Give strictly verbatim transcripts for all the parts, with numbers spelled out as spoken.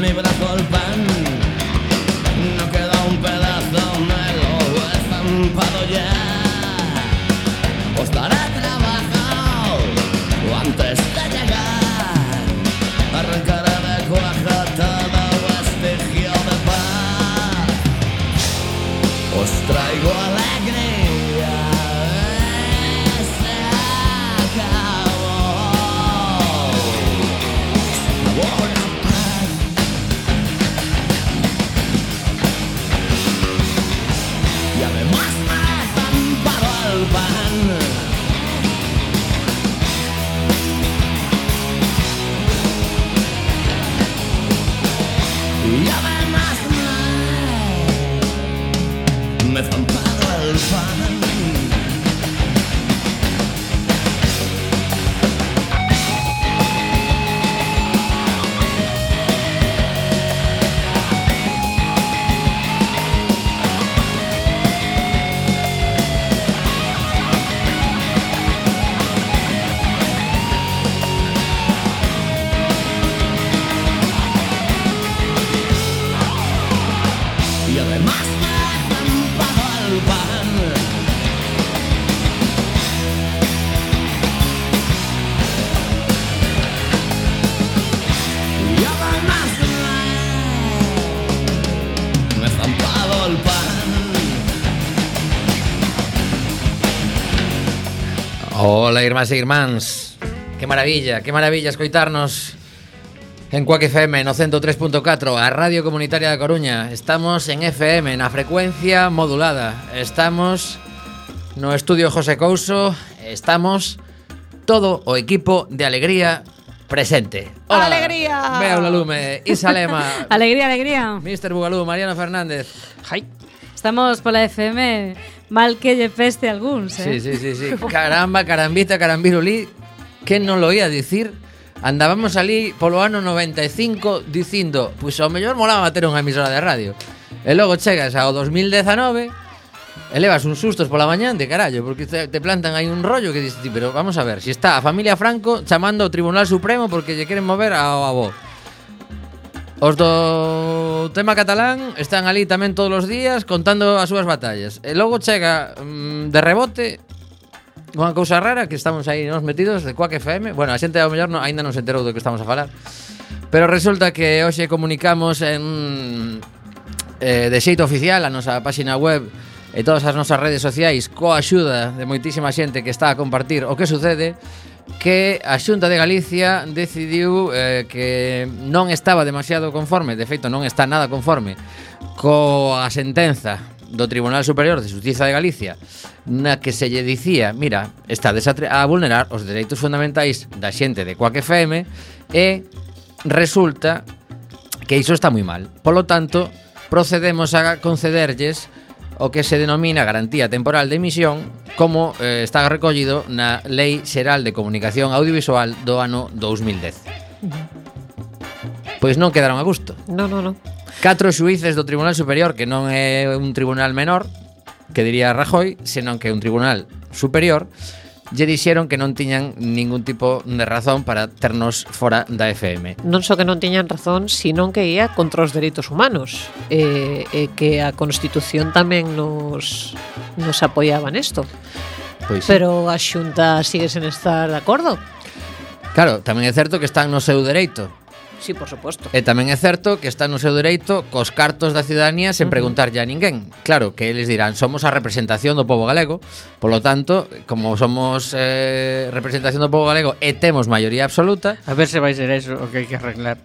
mi brazo el pan. No queda un pedazo, me lo he estampado ya. Os daré trabajo antes de llegar. Arrancaré de cuaja todo vestigio de paz. Os traigo alegría. Se acabó. Se acabó la paz. Y además me he estampado el pan. Y además me, me he estampado el pan. Y además me he estampado el pan. Y además me, me he estampado el pan. Hola, irmás e irmáns. Que maravilla, que maravilla escoitarnos en Cuac F M no ciento tres punto catro, a Radio Comunitaria da Coruña. Estamos en F M, na frecuencia modulada. Estamos no estudio José Couso. Estamos todo o equipo de Alegría presente. Hola, Alegría. Vea la lume, Isa Lema, Alegría, alegría. mister Bugalú, Mariano Fernández. Hai. Estamos pola F M mal que lle peste algúns, Sí, eh? sí, sí, sí. Caramba, carambita, carambirulí. Que non lo ia dicir? Andábamos ali polo ano noventa e cinco dicindo, pois ao mellor molaba ter unha emisora de radio. E logo chegas ao dos mil dezanove e levas uns sustos pola mañán de carallo, porque te, te plantan aí un rollo que dices, ti, pero vamos a ver, si está a familia Franco chamando ao Tribunal Supremo porque lle queren mover ao avó. Os do tema catalán están ali tamén todos os días contando as súas batallas. E logo chega mm, de rebote unha cousa rara que estamos aí nos metidos de Cuac F M. Bueno, a xente ao mellor no, ainda non se enterou do que estamos a falar. Pero resulta que hoxe comunicamos en eh, de xeito oficial a nosa páxina web e todas as nosas redes sociais coa axuda de moitísima xente que está a compartir o que sucede, que a Xunta de Galicia decidiu eh, que non estaba demasiado conforme, de feito non está nada conforme coa sentenza do Tribunal Superior de Xustiza de Galicia, na que se lle dicía, mira, estades a, a vulnerar os dereitos fundamentais da xente de Cuac F M, e resulta que iso está moi mal. Polo tanto, procedemos a concederlles o que se denomina garantía temporal de emisión, como eh, está recollido na Lei Xeral de Comunicación Audiovisual do ano dous mil dez. Pois non quedaron a gusto. No, no, no. Catro xuíces do Tribunal Superior, que non é un tribunal menor, que diría Rajoy, senón que é un tribunal superior, lle dixeron que non tiñan ningún tipo de razón para ternos fora da F M. Non só que non tiñan razón, sino que ia contra os dereitos humanos, e, e que a Constitución tamén nos, nos apoiaba nesto. Pois sí. Pero a Xunta sigue sen estar de acordo. Claro, tamén é certo que están no seu dereito. Sí, por suposto. E tamén é certo que está no seu dereito cos cartos da ciudadanía sen preguntarlle a ninguén. Claro, que eles dirán, somos a representación do pobo galego, polo tanto, como somos eh, representación do pobo galego e temos maioría absoluta. A ver se vai ser eso o que hai que arreglar.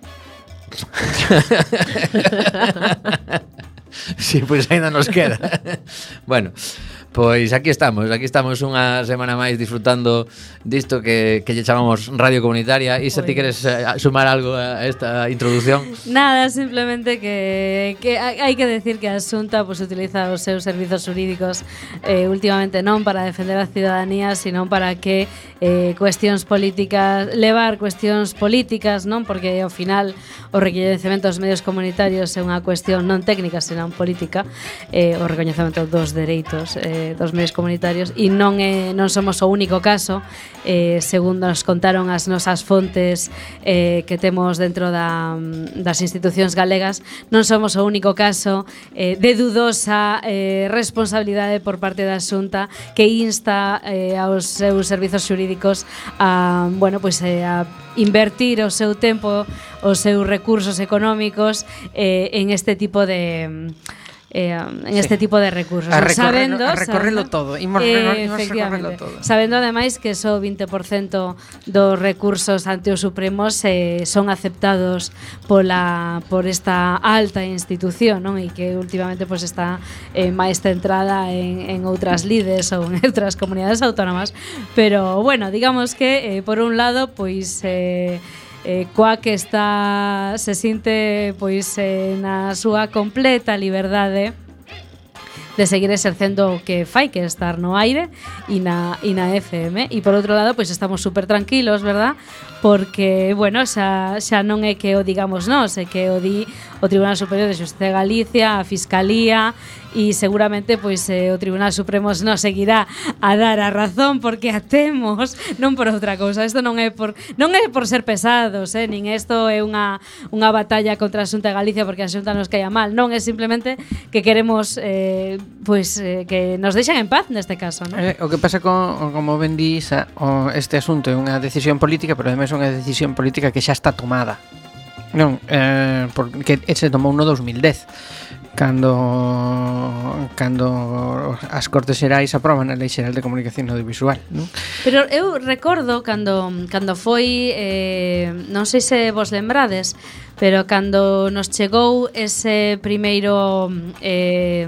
Sí, pois pues ainda nos queda. Bueno, pois aquí estamos, aquí estamos unha semana máis disfrutando disto que, que lle chamamos Radio Comunitaria. Isa, ti queres eh, sumar algo a esta introducción? Nada, simplemente que, que hai que decir que a Xunta pues, utiliza os seus servizos jurídicos eh, últimamente non para defender a ciudadanía, sino para que eh, cuestións políticas, levar cuestións políticas, non? Porque ao final o recoñecemento dos medios comunitarios é unha cuestión non técnica, senón política, eh, o recoñecemento dos dereitos eh, de, dos medios comunitarios e non é, non somos o único caso. Eh, segundo nos contaron as nosas fontes eh, que temos dentro da, das institucións galegas, non somos o único caso eh, de dudosa eh, responsabilidade por parte da Xunta que insta eh, aos seus servizos xurídicos a, bueno, pues, eh, a invertir o seu tempo, os seus recursos económicos eh, en este tipo de eh, en este sí. tipo de recursos. A recorrerlo, sabendo, a recorrerlo sabendo, todo. Imos, eh, imos recorrerlo todo. Sabendo ademais que só vinte por cento dos recursos ante os Supremos eh, son aceptados pola por esta alta institución, non? E que últimamente pues, está eh, máis centrada en, en outras lides ou en outras comunidades autónomas. Pero bueno, digamos que eh, por un lado, pois eh, Eh, coa que está se sinte pois eh, na súa completa liberdade de seguir exercendo o que fai, que estar no aire e na, e na F M. E por outro lado, pois estamos super tranquilos, verdad? Porque, bueno, xa, xa non é que o digamos nós, é que o di o Tribunal Superior de Xusticia de Galicia, a Fiscalía, e seguramente pois eh, o Tribunal Supremo nos seguirá a dar a razón porque a temos, non por outra cousa. Isto non é por non é por ser pesados, eh, nin isto é unha unha batalla contra a Xunta de Galicia porque a Xunta nos caia mal, non, é simplemente que queremos eh, pois eh, que nos deixen en paz neste caso, non? Eh, o que pasa con, como ben dís, o, este asunto é unha decisión política, pero ademais é unha decisión política que xa está tomada. Non, eh, porque se tomou no dos mil dez cando cando as Cortes Xerais aproban a Lei Xeral de Comunicación Audiovisual, non? Pero eu recordo cando cando foi eh, non sei se vos lembrades, pero cando nos chegou ese primeiro eh,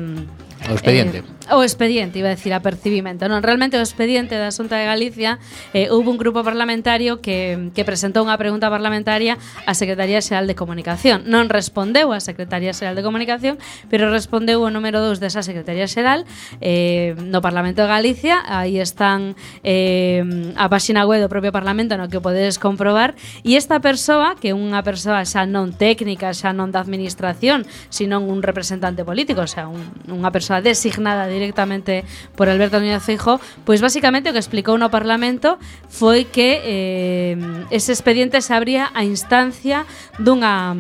o expediente. Eh, o expediente, iba a decir apercibimento. Non, realmente o expediente da Xunta de Galicia eh, houve un grupo parlamentario que, que presentou unha pregunta parlamentaria á Secretaría Xeral de Comunicación. Non respondeu a Secretaría Xeral de Comunicación, pero respondeu o número dous desa Secretaría Xeral eh, no Parlamento de Galicia. Aí están eh, a páxina web do propio Parlamento no que o podedes comprobar, e esta persoa, que é unha persoa xa non técnica, xa non da administración, sino un representante político, o sea, un, unha persoa designada directamente por Alberto Núñez Feijóo, pois basicamente o que explicou no Parlamento foi que eh, ese expediente se abría a instancia dunha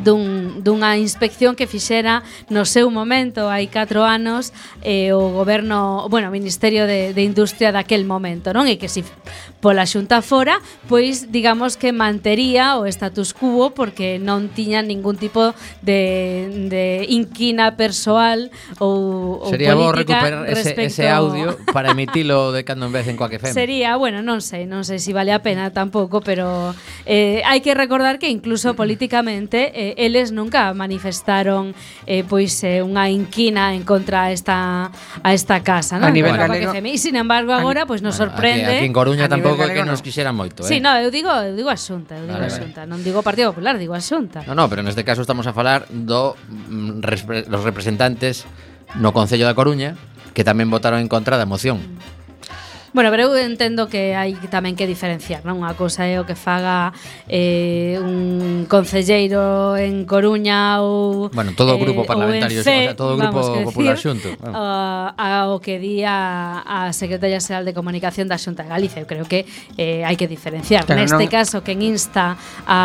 dun, dunha inspección que fixera no seu momento hai catro anos eh, o goberno, bueno, o Ministerio de, de Industria daquel momento, non? E que se si pola Xunta fora, pois digamos que mantería o status quo porque non tiña ningún tipo de, de inquina persoal ou, ou sería bo política recuperar ese, ese audio para emitilo de cando en vez en Quack F M. Sería, bueno, non sei, non sei se si vale a pena tampouco, pero eh, hai que recordar que incluso políticamente eh, eles nunca manifestaron eh, pois eh, unha inquina en contra a esta a esta casa, non? A nivel Contra galego, Quack F M. E sin embargo agora pois nos Bueno, sorprende. Aquí, aquí en Coruña A nivel tampouco é que galego, nos no. quixera moito, eh? Sí, no, eu digo, eu digo a Xunta, eu digo Vale, a vale. Xunta, non digo o Partido Popular, digo a Xunta. No, no, pero neste caso estamos a falar do mm, repre- los representantes no Concello da Coruña que tamén votaron en contra da moción. Bueno, pero eu entendo que hai tamén que diferenciar, non? Unha cousa é o que faga eh, un concelleiro en Coruña ou Bueno, todo o eh, grupo parlamentario, ou en C, o sea, todo o grupo vamos, que popular decir, xunto. Vamos. uh, ao que di a, a Secretaría Xeral de Comunicación da Xunta de Galicia. Eu creo que eh, hai que diferenciar. Pero Neste non- caso, quen insta a,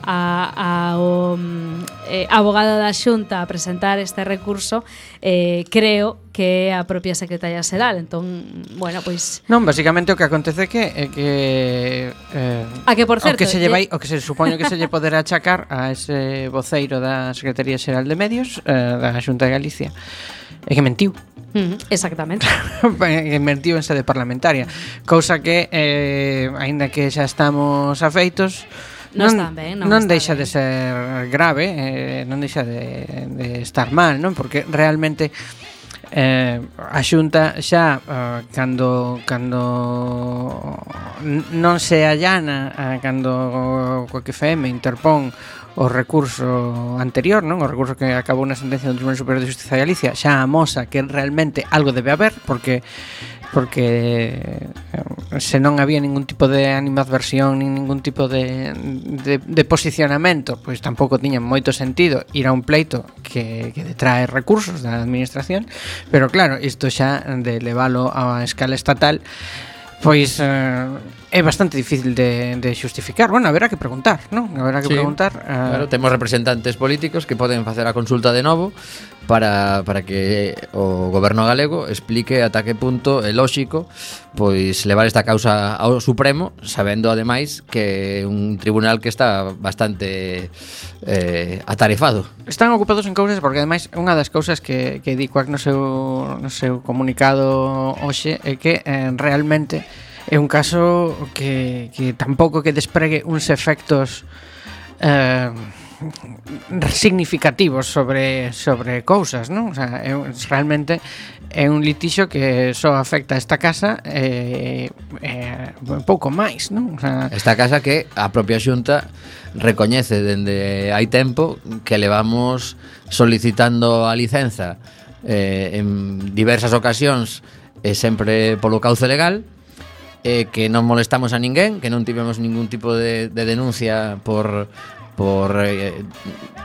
a, a o mm, eh, abogado da Xunta a presentar este recurso, eh, creo que é a propia Secretaría Xeral. Entón, bueno, pois Non, basicamente o que acontece é que é que eh, A que, por certo, o que se lle lle- vai, o que se supone que se lle poderá achacar a ese voceiro da Secretaría Xeral de Medios eh, da Xunta de Galicia é que mentiu. Mm, exactamente. Que mentiu en sede parlamentaria, cousa que eh, aínda que xa estamos afeitos Non está ben, non non está deixa ben. de ser grave, eh, non deixa de, de estar mal, non? Porque realmente eh, a Xunta xa eh, cando cando n- non se allana eh, cando o Quack F M interpón o recurso anterior, non? O recurso que acabou na sentencia do Tribunal Superior de Xustiza de Galicia xa amosa que realmente algo debe haber, porque porque eh, se non había ningún tipo de animadversión nin ningún tipo de, de, de posicionamento, pois tampouco tiña moito sentido ir a un pleito que, que detrae recursos da administración, pero claro, isto xa de leválo a escala estatal pois eh, é bastante difícil de, de xustificar. Bueno, haberá que preguntar, non? Haberá que Sí, preguntar eh, claro, temos representantes políticos que poden facer a consulta de novo para, para que o goberno galego explique ata que punto é lóxico pois levar esta causa ao Supremo, sabendo ademais que é un tribunal que está bastante eh, atarefado. Están ocupados en cousas porque ademais unha das cousas que, que di Cuac no seu, no seu comunicado hoxe é que eh, realmente é un caso que, que tampouco que despregue uns efectos eh, significativos sobre sobre cousas, non? O sea, é, realmente é un litixo que só afecta a esta casa e eh, eh, pouco máis, non? O sea, Esta casa que a propia Xunta recoñece dende hai tempo que levamos solicitando a licenza eh, en diversas ocasións e sempre polo cauce legal, eh, que non molestamos a ninguén, que non tivemos ningún tipo de, de denuncia por por eh,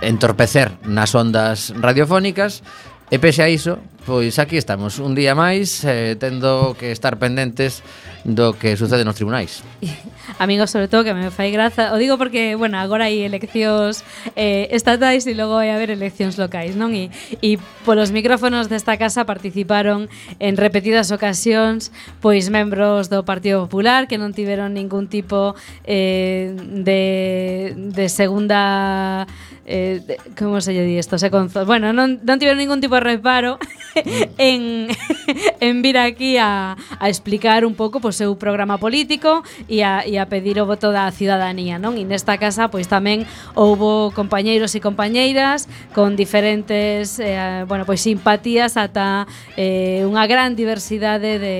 entorpecer nas ondas radiofónicas. E pese a iso, pois aquí estamos un día máis eh, tendo que estar pendentes do que sucede nos tribunais. Amigos, sobre todo, que me fai graza. O digo porque, bueno, agora hai eleccións eh, estatais e logo vai haber eleccións locais, non? E, e polos micrófonos desta casa participaron en repetidas ocasións pois membros do Partido Popular que non tiveron ningún tipo eh, de, de segunda... Eh, de, como se lle di isto? Se conzo, bueno, non, non tiveron ningún tipo de reparo en, en vir aquí a, a explicar un pouco o seu programa político e a, e a pedir o voto da ciudadanía, non? E nesta casa pois tamén houbo compañeiros e compañeiras con diferentes eh, bueno, pois simpatías ata eh, unha gran diversidade de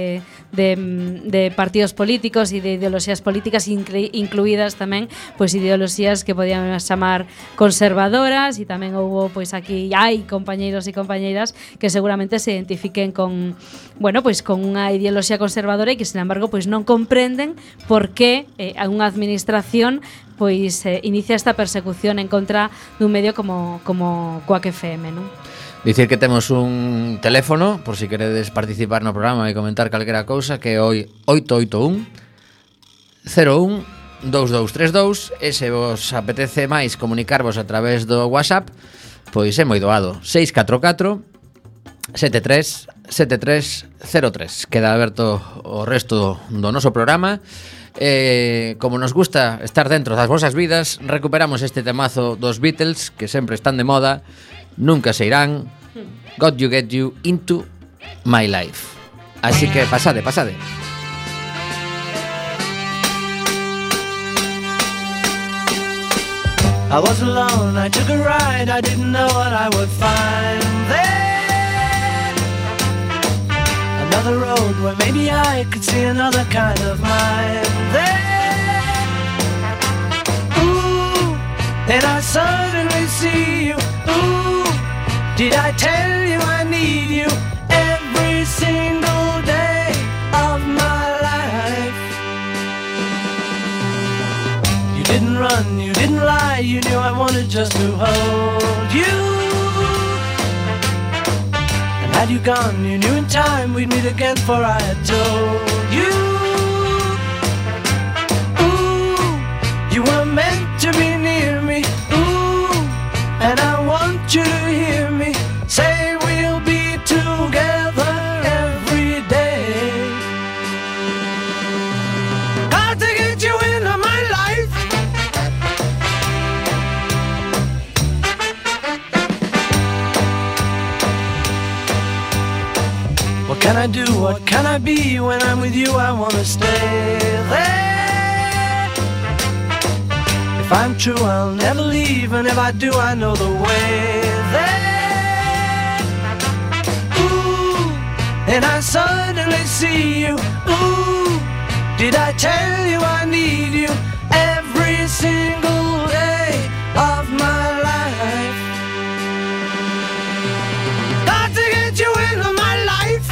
De, de partidos políticos e de ideoloxías políticas, incluídas tamén pois ideoloxías que podíamos chamar conservadoras, e tamén houbo pois aquí hai compañeiros e compañeiras que seguramente se identifiquen con, bueno, pois con unha ideoloxía conservadora e que, sin embargo, pois non comprenden por que eh, unha administración pois eh, inicia esta persecución en contra dun medio como como Cuac F M, non? Dicir que temos un teléfono por si queredes participar no programa e comentar calquera cousa, que é o oito oito un cero un dous dous tres dous, e se vos apetece máis comunicarvos a través do WhatsApp, pois é moi doado, seis catro catro sete tres sete tres cero tres. Queda aberto o resto do noso programa. Eh, como nos gusta estar dentro das vosas vidas, recuperamos este temazo dos Beatles que sempre están de moda, nunca se irán. Got You Get You Into My Life. Así que pasade, pasade. I was alone, I took a ride, I didn't know what I would find there. Another road where maybe I could see another kind of mind there. Ooh, and I suddenly see you. Ooh, did I tell you I need you every single day of my life? You didn't run, you didn't lie, you knew I wanted just to hold you. And had you gone, you knew in time we'd meet again, for I had told you. Ooh, you were meant to be near me. Ooh, and I want you to hear me say we'll be together every day. Got to get you into my life. What can I do, what can I be? When I'm with you I wanna stay there. If I'm true I'll never leave, and if I do I know the way there. Ooh, and I suddenly see you. Ooh, did I tell you I need you every single day of my life? Got to get you into my life.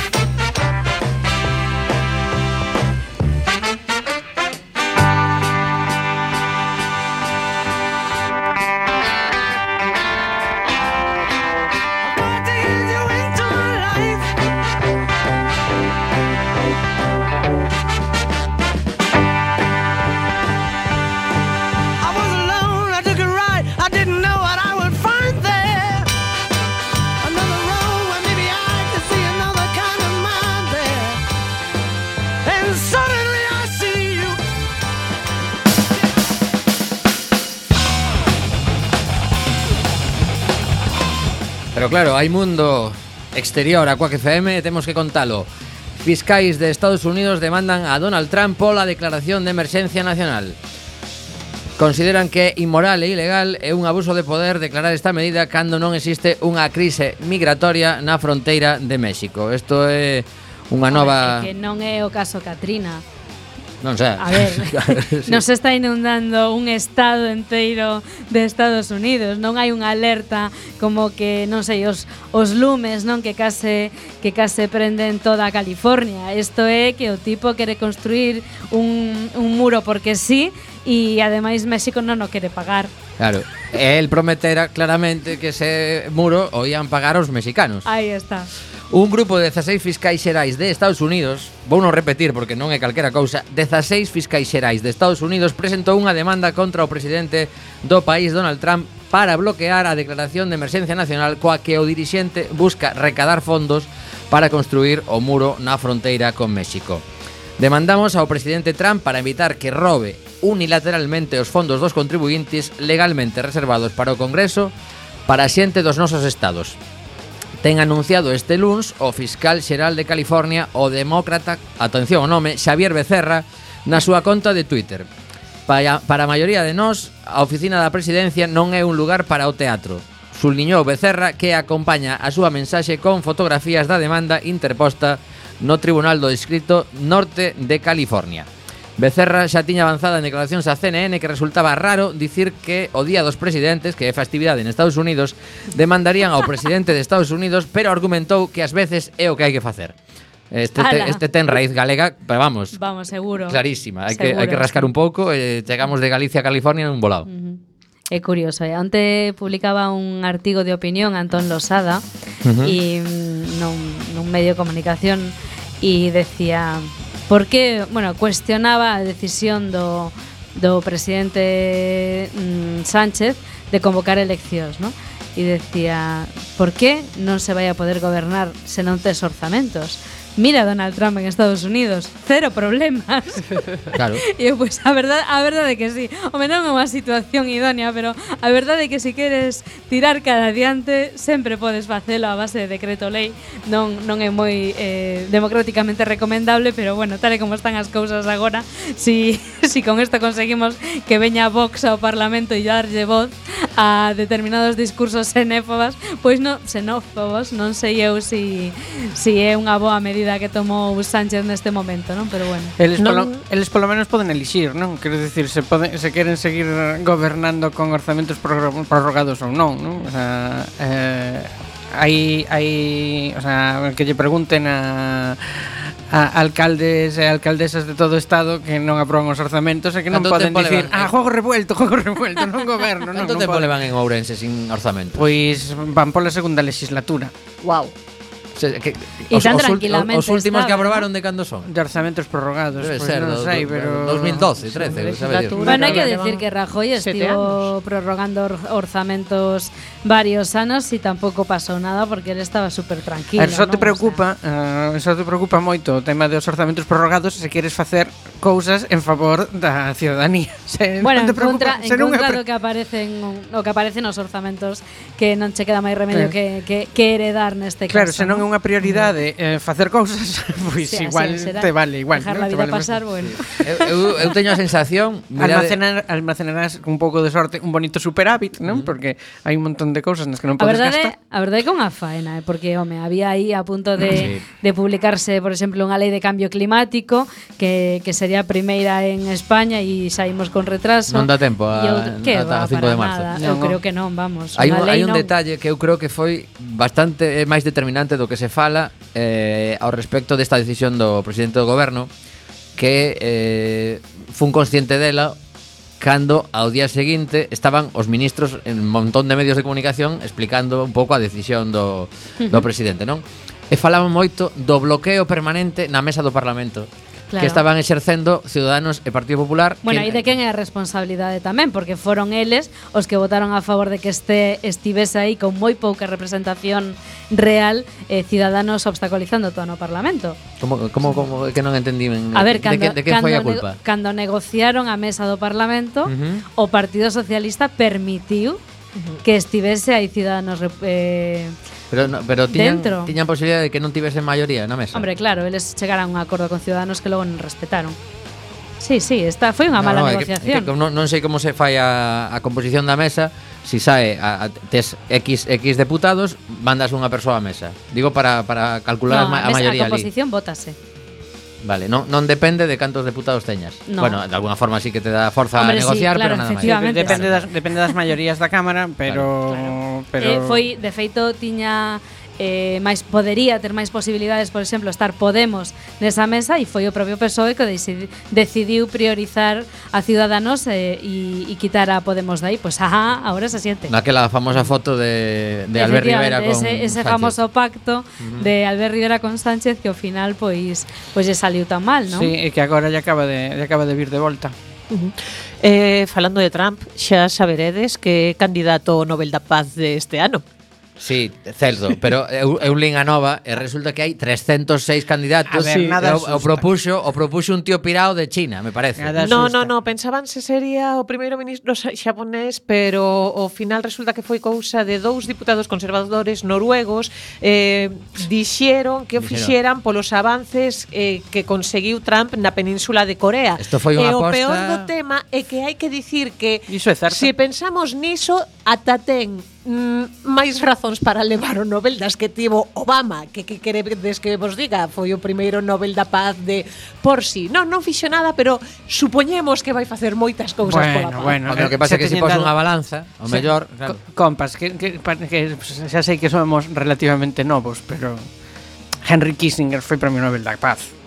Pero claro, hai mundo exterior a Quack F M e temos que contalo. Fiscais de Estados Unidos demandan a Donald Trump pola declaración de emerxencia nacional. Consideran que é inmoral e ilegal e un abuso de poder declarar esta medida cando non existe unha crise migratoria na fronteira de México. Isto é unha nova... É que non é o caso Katrina. Non sei. A ver, sí. Nos está inundando un estado enteiro de Estados Unidos. Non hai unha alerta como que, non sei, os, os lumes, non, que case que case prenden toda a California. Isto é que o tipo quere construir un, un muro porque sí, e ademais México non o quere pagar. Claro, el prometera claramente que ese muro o ian pagar os mexicanos. Aí está. Un grupo de dezaseis fiscais xerais de Estados Unidos, vou non repetir porque non é calquera cousa, dezaseis fiscais xerais de Estados Unidos presentou unha demanda contra o presidente do país, Donald Trump, para bloquear a declaración de emerxencia nacional coa que o dirixente busca recadar fondos para construir o muro na fronteira con México. Demandamos ao presidente Trump para evitar que robe unilateralmente os fondos dos contribuintes legalmente reservados para o Congreso para a xente dos nosos estados. Ten anunciado este luns o fiscal xeral de California, o demócrata, atención ao nome, Xavier Becerra, na súa conta de Twitter. Para, para a maioría de nós, a oficina da presidencia non é un lugar para o teatro. Subliñou Becerra, que acompaña a súa mensaxe con fotografías da demanda interposta no Tribunal do Distrito Norte de California. Becerra xa tiña avanzada en declaracións a C N N que resultaba raro dicir que o Día dos Presidentes, que é festividade en Estados Unidos, demandarían ao presidente de Estados Unidos, pero argumentou que ás veces é o que hai que facer. Este, te, este ten raíz galega, pero vamos, vamos seguro, clarísima. Hai seguro, que, hai que rascar sí. un pouco e chegamos de Galicia a California nun volado. Uh-huh. É curioso, eh? Onte publicaba un artigo de opinión Antón Losada uh-huh. e nun, nun medio de comunicación e decía... Porque, bueno, cuestionaba a decisión do, do presidente mm, Sánchez de convocar eleccións, ¿no? E decía, por que non se vai a poder gobernar se non tes orzamentos? Mira Donald Trump en Estados Unidos, cero problemas. Claro. E eu, pois, a verdade, a verdade é que sí. Home, non é unha situación idónea, pero a verdade é que se queres tirar cara adiante, sempre podes facelo a base de decreto lei. Non, non é moi eh, democráticamente recomendable, pero bueno, tal e como están as cousas agora, si, si con isto conseguimos que veña Vox ao Parlamento e darlle voz a determinados discursos xenófobos, pois non, xenófobos, non sei eu si, si é unha boa medida que tomou Sánchez neste momento, non? Pero bueno. Eles non... polo, eles polo menos poden elixir, non? Quero dicir, se poden, se queren seguir gobernando con orzamentos prorrogados ou non, non? O sea, eh, hai hai, o sea, que lle pregunten a a alcaldes e alcaldesas de todo o estado que non aproban os orzamentos e que non poden dicir, ah, juego revuelto, juego revuelto, non goberno, non. Canto tempo levan en Ourense sin orzamento? Pois van pola segunda legislatura. Wow. Se, que, E os, tan os, tranquilamente os últimos estaba, que aprobaron ¿no? de cando son? De orzamentos prorrogados, Debe pois ser, non do, sei, do, pero dos mil doce, trece, sabe Dios. Bueno, hai que Llevan decir que Rajoy sete estivo anos. prorrogando or- orzamentos varios anos e tampouco pasou nada porque ele estaba súper tranquilo. A ver, só te non? preocupa, uh, só te preocupa moito o tema dos orzamentos prorrogados se queres facer cousas en favor da ciudadanía. Se Bueno, non te en contra, preocupa, en se non é contra pre- do que aparecen o que aparecen nos orzamentos que non che queda máis remedio Claro. que, que, que heredar neste Claro, caso. se non é ¿no? unha prioridade eh, facer cousas, pois Sí, así igual será. te vale igual, Dejar ¿no? la Te vida vale pasar, bueno. Eu, eu, eu teño a sensación, mirade, Almacenar, almacenarás con un pouco de sorte un bonito superávit, non? Porque hai un montón de cousas nas que non A podes verdade, gastar. a verdade é que é unha faena, eh, porque home, había aí a punto de, Sí. de publicarse, por exemplo, unha lei de cambio climático que, que sería a primeira en España e saímos con retraso. Non dá tempo a- E outro- que ata va, o cinco para de marzo. nada. Non, Eu non. creo que non, vamos. hai un, Unha lei hai un non. detalle que eu creo que foi bastante eh, máis determinante do que se fala eh, ao respecto desta decisión do presidente do goberno, que eh, fun consciente dela cando ao día seguinte estaban os ministros en un montón de medios de comunicación explicando un pouco a decisión do, do presidente, non? E falaban moito do bloqueo permanente na mesa do Parlamento. Claro. Que estaban exercendo Ciudadanos e Partido Popular. Bueno, que, e de quen é a responsabilidade tamén, porque foron eles os que votaron a favor de que este estivese aí con moi pouca representación real, eh, Ciudadanos obstaculizando todo no Parlamento. Como, como, como que non entendí ben, A ver, de, cando, que, de que foi a cando, culpa? nego- cando negociaron a mesa do Parlamento, Ujú. o Partido Socialista permitiu que estivese hai ciudadanos eh, Pero, no, pero tiñan, dentro. tiñan posibilidade de que non tivesen maioría na mesa. Hombre, claro, eles chegaran a un acordo con ciudadanos que logo non respetaron. Sí, sí, esta foi unha No, mala no, é que- negociación. é que non, non sei como se fai a, a composición da mesa. Si sae a, a, tes X, X deputados, mandas unha persoa á mesa. Digo para, para calcular No, a, ma- a a mesa- maioría a ali. composición vótase. Vale, non, non depende de cantos deputados teñas. No. Bueno, de alguna forma sí que te da forza Hombre, a sí, negociar, claro, pero nada máis. efectivamente. Depende das, depende das maiorías da Cámara, pero... pero... Eh, foi, de feito, tiña eh, máis podería ter máis posibilidades, por exemplo, estar Podemos nesa mesa e foi o propio P S O E que decidi, decidiu priorizar a Ciudadanos e, e, e quitar a Podemos de aí. Pois, pues, ajá, ahora se siente. Naquela famosa foto de, de Albert Rivera con ese, ese Sánchez. famoso pacto uh-huh. de Albert Rivera con Sánchez que ao final pois pois lle saliu tan mal, non? Sí, e que agora ya acaba de, ya acaba de vir de volta. Uh-huh. Eh, falando de Trump, xa saberedes que é candidato ao Nobel da Paz deste ano. Sí, certo, pero eu, eu lín a nova e resulta que hai trescentos seis candidatos. A ver, nada e o, o asusta. propuxo, o propuxo un tío pirao de China, me parece. Nada No, asusta. no, no, pensaban se sería o primeiro ministro xa- xaponés, pero ao final resulta que foi cousa de dous diputados conservadores noruegos eh, dixeron que o Dixeron. fixeran polos avances eh, que conseguiu Trump na península de Corea. Isto foi unha e o aposta- peor do tema é que hai que dicir que Iso é certo. se pensamos niso, ata ten mm, máis razóns para levar o Nobel das que tivo Obama, que que queredes que vos diga, foi o primeiro Nobel da Paz de por si. Non, non fixo nada, pero supoñemos que vai facer moitas cousas pola Bueno, paz. bueno. O que pasa é que se teñen pos dado- unha balanza, o Se- mellor, claro. Co- Compas, que, que, pa- que xa sei que somos relativamente novos, pero Henry Kissinger foi Premio Nobel da Paz.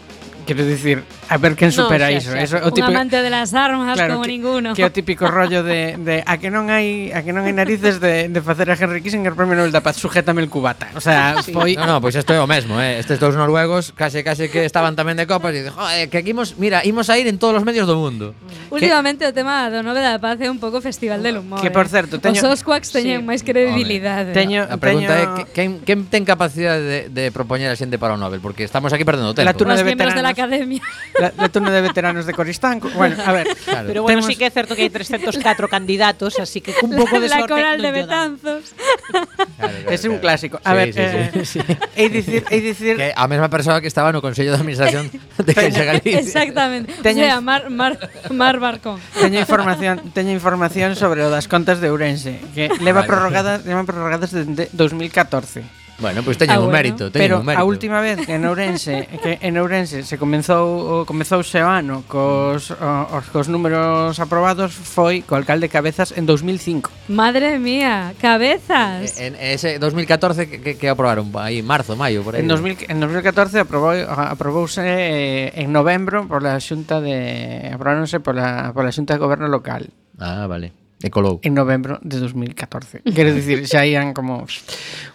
Quero dicir, a ver quen No, supera xa, iso. xa. Eso, o Un típico, amante de las armas claro, como que, ninguno. que é o típico rollo de, de a que non hai a que non hai narices de, de facer a Henry Kissinger Premio Nobel da Paz, sujétame el cubata. O sea, foi No, no, pois isto é o mesmo, eh. Estes dous noruegos case case que estaban tamén de copas e dicen, joder, que aquí imos, mira, imos a ir en todos os medios do mundo. Últimamente o tema do Nobel da Paz é un pouco festival del humor. Que, eh. por certo, teño- Os Osquaks teñen Sí. máis credibilidade. Teño- A pregunta teño- é que, quen, quen ten capacidade de, de propoñer a xente para o Nobel, porque estamos aquí perdendo tempo. La turna Os de miembros de la veteranos. academia. la, la turno de veteranos de Coristanco. Bueno, a ver, Claro. Pero bueno, Temos- sí que é certo que hai trescentos catro candidatos, así que cun pouco de La sorte coral non de lle dan. Betanzos. Claro, claro, es un claro. clásico. A Sí, ver, sí, eh, sí. hei dicir, hei dicir Que a mesma persoa que estaba no Consello de Administración de Caixa Galicia. Exactamente. Teño- O sea, Mar, Mar, Mar Barcón. teño información, teño información sobre o das contas de Ourense, que leva Vale. prorrogadas, levan prorrogadas desde dos mil catorce. Bueno, pois pues teñen Ah, un bueno. mérito, teñen Pero un mérito. a última vez que en Ourense, que en Ourense se comenzou o comezouse o ano cos o- os cos números aprobados foi co alcalde Cabezas en dos mil cinco. Madre mía, cabezas. En ese dos mil catorce que, que, que aprobaron aí, marzo, maio, por aí. En, dos mil, en dos mil catorce aprobou, aprobouse eh, en novembro pola Xunta de aprobáronse pola pola Xunta de Goberno local Ah, vale. E colou. en novembro de dos mil catorce. Quero dicir, xa ian como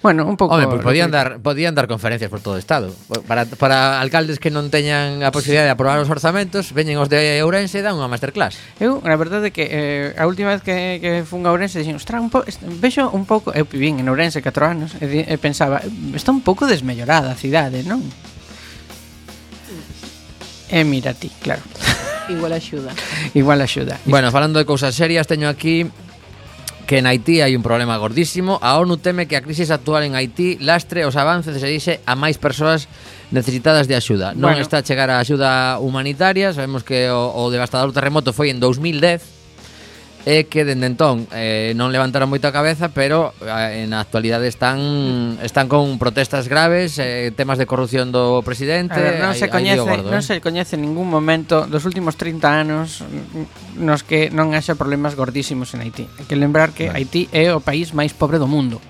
bueno, un pouco Home, pois podían dar podían dar conferencias por todo o estado. Para, para alcaldes que non teñan a posibilidade de aprobar os orzamentos, veñen os de Ourense e dan unha masterclass. Eu, a verdade é que eh, a última vez que, que fun a Ourense dixen, ostras, un po, est- vexo un pouco, eu vivín en Ourense catro anos e, di- e pensaba, está un pouco desmellorada a cidade, non? E mira ti, claro. Igual axuda. Igual axuda. Bueno, falando de cousas serias, teño aquí que en Haití hai un problema gordísimo. A ONU teme que a crisis actual en Haití lastre os avances e se dixe a máis persoas necesitadas de axuda. Non Bueno. está a chegar a axuda humanitaria. Sabemos que o, o devastador terremoto foi en dos mil dez e que dende entón eh, non levantaron moita cabeza, pero eh, en a actualidade están están con protestas graves, eh, temas de corrupción do presidente. A ver, non hai- se hai coñece, lío gordo, non eh. se coñece ningún momento dos últimos trinta anos mm, nos que non haxa problemas gordísimos en Haití. Hai que lembrar que Vale. Haití é o país máis pobre do mundo.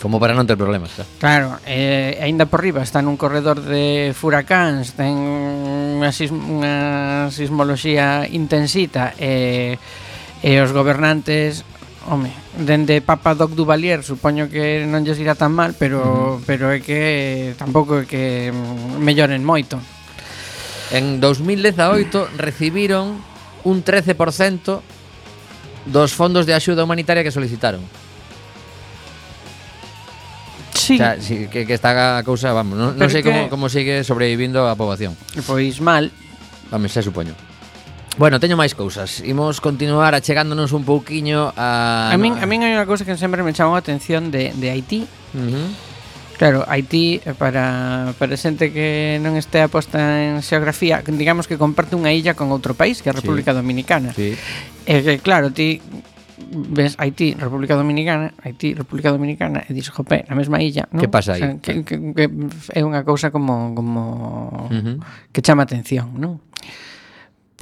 Como para non ter problemas, claro. Claro, eh, aínda por riba está nun corredor de furacáns, ten unha, sism unha sismoloxía intensita e, e os gobernantes, home, dende Papa Doc Duvalier supoño que non lles irá tan mal, pero, pero é que tampouco é que mm, melloren moito. En dos mil dezaoito recibiron un trece por cento dos fondos de axuda humanitaria que solicitaron. Sí, O sea, sí, que, que está a cousa, vamos, non, non Pero sei que- como, como sigue sobrevivindo a poboación. pois mal. Vamos, xa supoño. Bueno, teño máis cousas. Imos continuar achegándonos un pouquiño a... A min, a min hai unha cousa que sempre me chamou a atención de, de Haití. Uh-huh. Claro, Haití, para, para xente que non este aposta en xeografía, digamos que comparte unha illa con outro país, que é a República Sí. Dominicana. Sí. E que, claro, ti ves Haití, República Dominicana, Haití, República Dominicana, e dis, jope, na mesma illa, non? Que pasa aí? O sea, que, que, que é unha cousa como, como Uh-huh. que chama atención, non?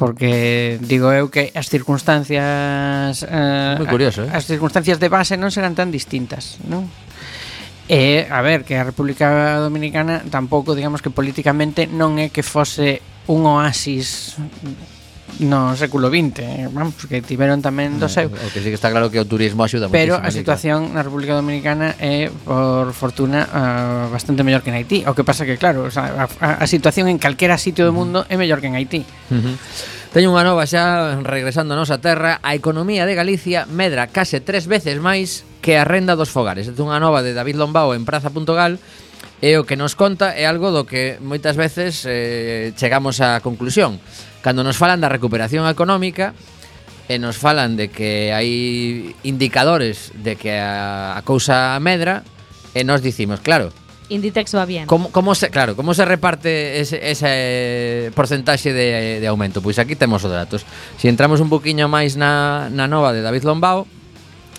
Porque digo eu que as circunstancias eh, Moi curioso, eh? as circunstancias de base non serán tan distintas, non? E, a ver, que a República Dominicana tampouco, digamos que políticamente non é que fose un oasis no século vinte, eh, vamos, que tiveron tamén do seu. O que sí que está claro que o turismo axuda Pero moitísimo, a situación na República Dominicana é, por fortuna, uh, bastante mellor que en Haití. O que pasa que, claro, o sea, a, a situación en calquera sitio do mundo é mellor que en Haití. Uh-huh. Teño unha nova xa, regresando a nosa terra. A economía de Galicia medra case tres veces máis que a renda dos fogares. É unha nova de David Lombao en praza punto gal. E o que nos conta é algo do que moitas veces eh, chegamos á conclusión. Cando nos falan da recuperación económica e nos falan de que hai indicadores de que a, a cousa medra, e nos dicimos, claro, Inditex va bien. como, como se, claro, como se reparte ese, ese porcentaxe de, de aumento? Pois aquí temos os datos. Se entramos un poquinho máis na, na nova de David Lombao,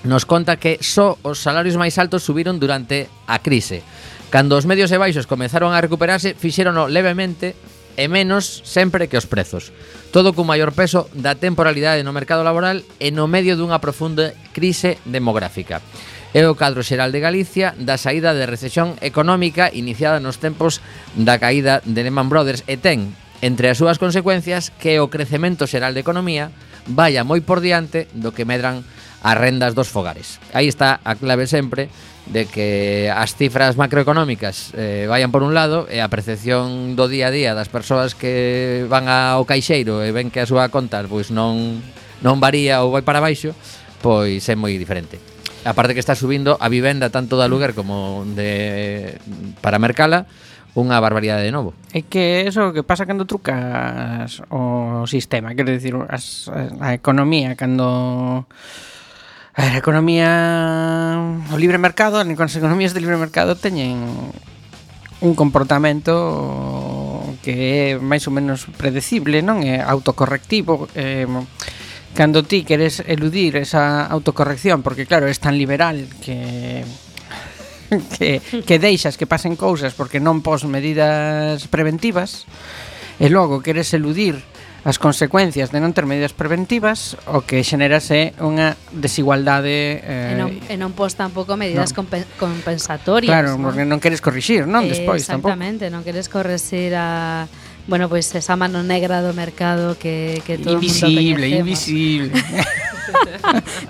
nos conta que só os salarios máis altos subiron durante a crise. Cando os medios e baixos comezaron a recuperarse, fixérono levemente e menos sempre que os prezos. Todo cun maior peso da temporalidade no mercado laboral e no medio dunha profunda crise demográfica. É o cadro xeral de Galicia da saída de recesión económica iniciada nos tempos da caída de Lehman Brothers e ten entre as súas consecuencias que o crecemento xeral de economía vaya moi por diante do que medran as rendas dos fogares. Aí está a clave sempre de que as cifras macroeconómicas eh, vayan por un lado e a percepción do día a día das persoas que van ao caixeiro e ven que a súa conta pois non non varía ou vai para baixo, pois é moi diferente. Aparte que está subindo a vivenda tanto de aluguer como de para mercala unha barbaridade de novo. É que eso que pasa cando trucas o sistema, quero dicir, as, a economía cando a ver, a economía o libre mercado, as economías de libre mercado teñen un comportamento que é máis ou menos predecible, non? É autocorrectivo, eh, cando ti queres eludir esa autocorrección, porque claro, es tan liberal que que, que deixas que pasen cousas porque non pos medidas preventivas, e logo queres eludir as consecuencias de non ter medidas preventivas, o que xerase unha desigualdade eh, E non, e non pos tampouco medidas no. compen- compensatorias. claro, non? porque non queres corrixir, non? Despois tampouco. Exactamente, non queres correxir a bueno, pois pues esa mano negra do mercado que, que todo Invisible, mundo coñecemos. invisible.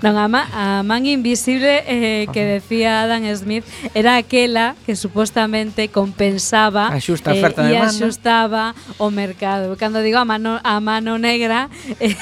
Non, a, ma, a man invisible eh, que decía Adam Smith era aquela que supostamente compensaba Axusta a eh, oferta e e demanda. axustaba o mercado. Cando digo a mano, a mano negra eh,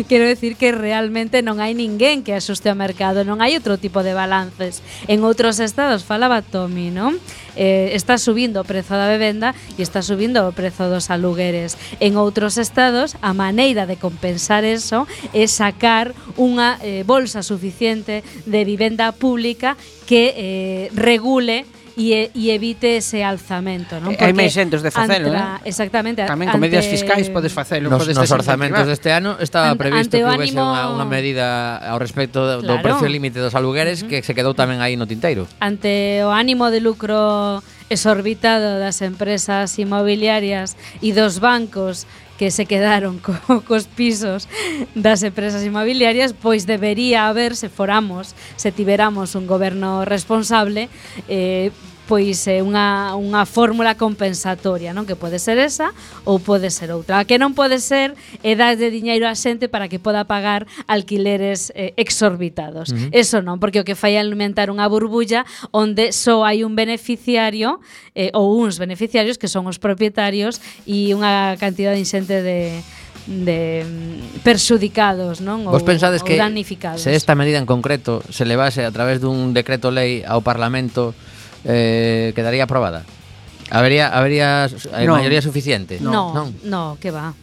quero decir que realmente non hai ninguén que axuste ao mercado, non hai outro tipo de balances. En outros estados, falaba Tommy, non? Eh, está subindo o prezo da vivenda e está subindo o prezo dos alugueres. En outros estados, a maneira de compensar eso é sacar unha eh, bolsa suficiente de vivenda pública que eh, regule e, e evite ese alzamento, non? E hai Porque máis xentes de facelo, antra- eh? Exactamente. Tamén con medidas fiscais podes facelo, Nos, podes nos orzamentos desincentivar. deste ano estaba Ante- previsto ante que o houvese ánimo- unha, unha medida ao respecto do, do Claro. precio límite dos alugueres que se quedou tamén aí no tinteiro. Ante o ánimo de lucro exorbitado das empresas inmobiliarias e dos bancos que se quedaron co, cos pisos das empresas inmobiliarias, pois debería haber, se foramos, se tiveramos un goberno responsable, eh, pois é unha, unha fórmula compensatoria, non? Que pode ser esa ou pode ser outra. A que non pode ser é dar de diñeiro á xente para que poda pagar alquileres eh, exorbitados. Uh-huh. Eso non, porque o que fai é alimentar unha burbulla onde só hai un beneficiario eh, ou uns beneficiarios que son os propietarios e unha cantidade inxente de de mm, perxudicados, non? Vos pensades ou que damnificados. se esta medida en concreto se levase a través dun decreto lei ao Parlamento, eh, quedaría aprobada? Habería, habería eh, No. maioría suficiente? No, non. no, que va.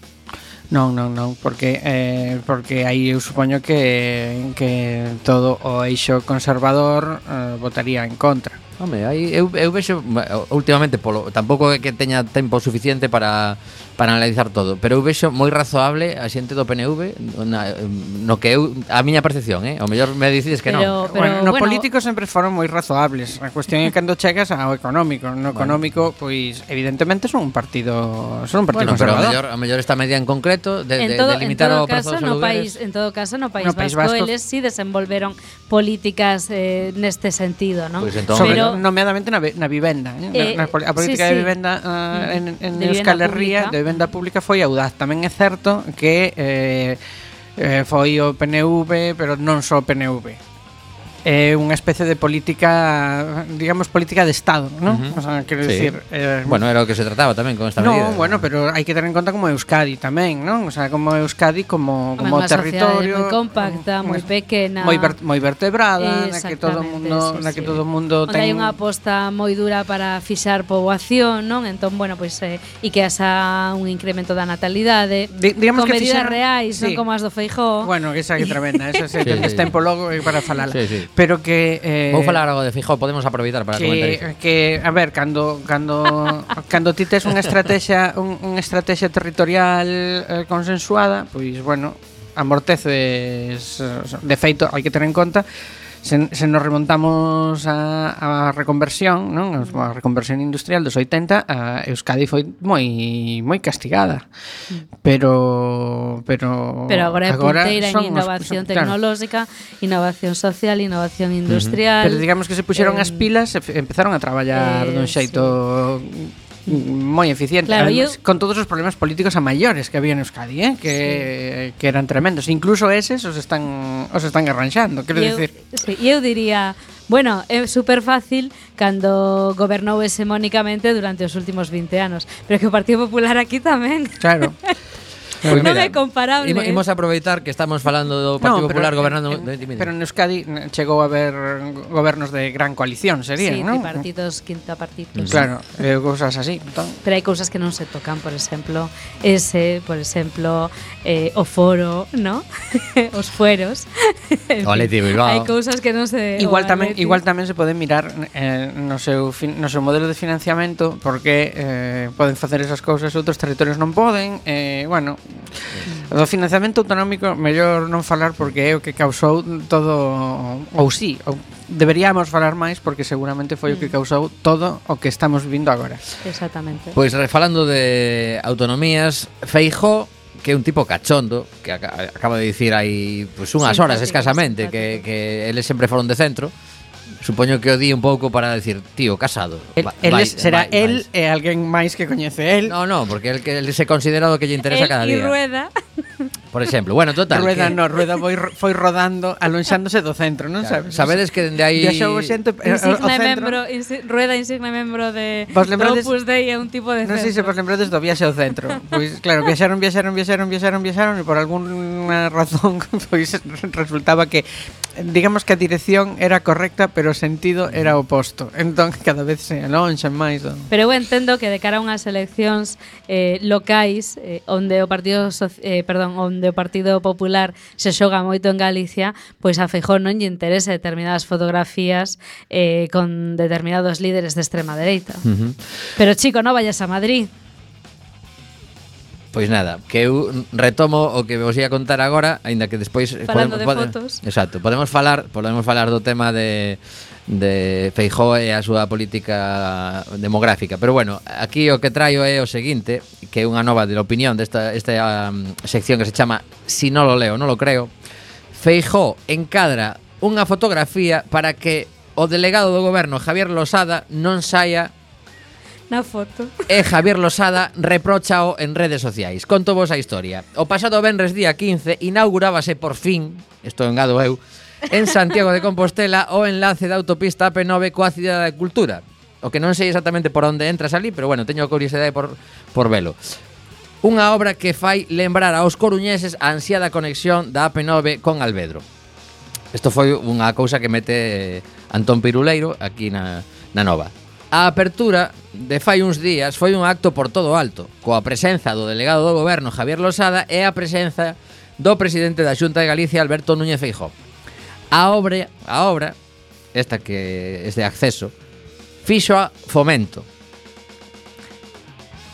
Non, non, non, porque eh, porque aí eu supoño que que todo o eixo conservador eh, votaría en contra. Home, aí eu, eu vexo últimamente polo, tampouco é que teña tempo suficiente para para analizar todo, pero eu vexo moi razoable a xente do P N V na, no que eu a miña percepción, eh, ao mellor me dicides que Pero- non. pero, bueno, no bueno, político sempre foron moi razoables. A cuestión é cando chegas ao económico. No económico, pois evidentemente son un partido, son un partido Bueno, pero ao conservador. mellor, ao mellor esta medida en concreto de, en de, todo, de limitar en todo o prezo caso, dos no alugueres. país, en todo caso, no País, No País Vasco, Vasco- eles sí desenvolveron políticas eh, neste sentido, non? Pois entón- Sobre, Pero nomeadamente na, ve- na vivenda, eh? Eh, na, na, poli- a política sí, de sí. vivenda uh, en, en De Euskal vivenda Herria, pública. de vivenda pública foi audaz. Tamén é certo que eh, eh, foi o P N V, pero non só o P N V. É unha especie de política, digamos, política de Estado, ¿no? Ujú. O sea, quero Sí. decir, eh, Bueno, era o que se trataba tamén con esta no, medida. bueno, pero hai que ter en conta como Euskadi tamén, non? O sea, como Euskadi como Home, como unha sociedade territorio moi compacta, moi pequena. moi ver, moi vertebrada, na que todo o Exactamente, mundo, sí, na que sí. todo o mundo Onde ten hai unha aposta moi dura para fixar poboación, non? Entón, bueno, pois eh, e que asa un incremento da natalidade, Di- digamos con que medidas fixeron- reais, sí. non como as do Feijóo. Bueno, esa que tremenda, eso se Sí, sí, sí. tempo logo eh, para falala. Sí, sí. Pero que eh, Vou falar algo de Feijóo, podemos aproveitar para comentar iso. que, que a ver, cando cando cando ti tes unha estrategia un, unha estrategia territorial eh, consensuada, pois bueno, amorteces eh, de feito, hai que ter en conta se, se nos remontamos a, a reconversión, non? A reconversión industrial dos oitenta, a Euskadi foi moi moi castigada. Pero pero Pero agora é punteira son en os- innovación son- claro. tecnolóxica, innovación social, innovación industrial. Pero digamos que se puxeron eh, as pilas e f- empezaron a traballar eh, dun xeito moi eficiente, Claro, además, eu- con todos os problemas políticos a maiores que había en Euskadi, eh? que, que eran tremendos. Incluso eses os están os están arranxando, quero E eu, dicir. sí, e eu diría, bueno, é super fácil cando gobernou hexemónicamente durante os últimos vinte anos, pero que o Partido Popular aquí tamén. Claro. Pois non mira, é comparable. imo- Imos aproveitar que estamos falando do Partido No, pero Popular en- gobernando en- de- dime, dime. pero en Euskadi n- chegou a haber gobernos de gran coalición, serían, sí, non? tripartitos, quintapartitos. Claro, eh, cousas así. Entón, Pero hai cousas que non se tocan, por exemplo, ese, por exemplo, eh, o foro, ¿no? Os fueros. En O Athletic fin, Bilbao. Hai cousas que non se Igual o tamén Athletic. igual tamén se pode mirar eh, no seu fin, no seu modelo de financiamento porque eh, poden facer esas cousas outros territorios non poden, eh, bueno, do financiamento autonómico mellor non falar porque é o que causou todo ou sí, ou deberíamos falar máis porque seguramente foi o que causou todo o que estamos vivindo agora. Exactamente. Pois re- falando de autonomías, Feijóo, que é un tipo cachondo, que aca- acaba de dicir hai pues, unhas horas Simpático, escasamente que, simpático. que eles sempre foron de centro. Supoño que o di un pouco para decir, tío, casado. El, Va- el vai- es- será vai- el vais. e alguén máis que coñece el. No, no, porque el que el se considera o que lle interesa El cada y día. Rueda. Por exemplo, bueno, total. Rueda que- no, Rueda foi, foi rodando, alonxándose do centro, non Claro, sabes? sabedes que dende aí Viaxou xente eh, ao Insigne centro. membro, insi- Rueda insigne membro de Vos lembrades- Opus Dei é un tipo de Non sei se centro. vos lembrades do viaxe ao centro. Pois claro, viaxaron, viaxaron, viaxaron, viaxaron, viaxaron e por algunha razón pois resultaba que digamos que a dirección era correcta, pero o sentido era oposto. Entón cada vez se alonxan máis do... Pero eu entendo que de cara a unhas eleccións eh, locais eh, onde o Partido Soci- eh, perdón, onde o Partido Popular se xoga moito en Galicia, pois a Feijóo non lle interesa determinadas fotografías eh, con determinados líderes de extrema dereita. Ujú. Pero chico, non vayas a Madrid. Pois nada, que eu retomo o que vos ia contar agora, aínda que despois Falando de fotos. Exacto, podemos falar, podemos falar do tema de de Feijóo e a súa política demográfica, pero bueno, aquí o que traio é o seguinte, que é unha nova de la opinión desta esta um, sección que se chama Si non lo leo, non lo creo. Feijóo encadra unha fotografía para que o delegado do goberno Javier Losada non saia Na foto. e Javier Losada repróchao en redes sociais. Conto vos a historia. O pasado venres día quince inaugurábase por fin, isto engado eu, en Santiago de Compostela o enlace da autopista A P nove coa Cidade da Cultura. O que non sei exactamente por onde entras ali, pero bueno, teño curiosidade por, por velo. Unha obra que fai lembrar aos coruñeses a ansiada conexión da A P nove con Alvedro. Isto foi unha cousa que mete Antón Piruleiro aquí na, na Nova. A apertura de fai uns días foi un acto por todo alto, coa presenza do delegado do goberno Javier Losada e a presenza do presidente da Xunta de Galicia Alberto Núñez Feijóo. A obra, a obra, esta que é de acceso, fixo a Fomento.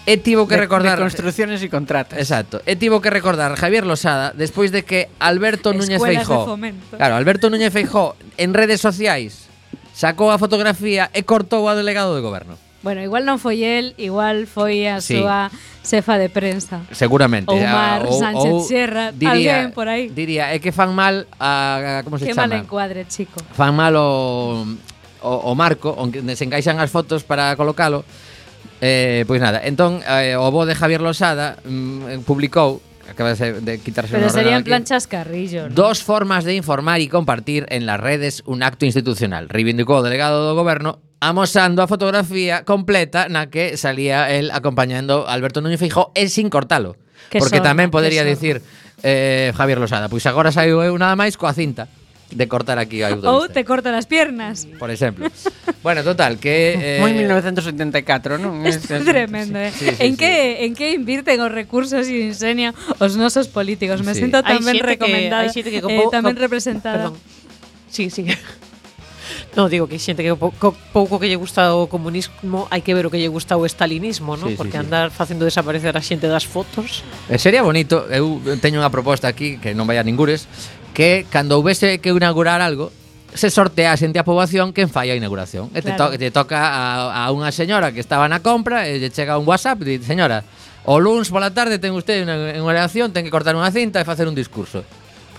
E tivo que De- recordar de construcciones y contratas. Exacto. E tivo que recordar Javier Losada despois de que Alberto Núñez Escuelas de Feijóo, fomento. claro, Alberto Núñez Feijóo en redes sociais sacou a fotografía e cortou ao delegado de goberno. Bueno, igual non foi el, igual foi a Sí. súa xefa de prensa. Seguramente. Ou A- Mar Sánchez Sierra, alguén por aí. Diría, é que fan mal a, a como se Que mal chama? encuadre, chico. Fan mal o, o, o marco onde se encaixan as fotos para colocalo. Eh, pois nada, entón eh, o bo de Javier Losada mm, publicou, acaba de, de quitarse Pero un ordenador serían aquí, plan chascarrillo, ¿no? dos formas de informar y compartir en las redes un acto institucional. Reivindicou o delegado do goberno amosando a fotografía completa na que salía el acompañando a Alberto Núñez Feijóo e sin cortalo. Que Porque sorna, tamén que podería sorna. dicir eh, Javier Losada, pois agora saiu eu nada máis coa cinta de cortar aquí a Ou autopista, te corta las piernas. por exemplo. Bueno, total, que eh, Moi mil novecientos setenta e catro, non? Isto é tremendo, eh? Sí, sí, en, sí. que, en que invirten os recursos e o ingenio os nosos políticos? Me Sí. sinto Hai tamén xente que- recomendada, hai xente que co eh, pou- tamén co- representada. Perdón. Sí, sí. No, digo que hai xente que po- co- pouco que lle gusta o comunismo, hai que ver o que lle gusta o estalinismo, ¿no? Sí, sí, Porque sí. andar facendo desaparecer a xente das fotos. Eh, sería bonito, eu teño unha proposta aquí que non vai a ningures, que cando houvese que inaugurar algo se sortease entre a poboación quen fai a inauguración. E te, Claro. to te toca a, a unha señora que estaba na compra e lle chega un WhatsApp e di, señora, o luns pola tarde ten usted unha, unha elección, ten que cortar unha cinta e facer un discurso.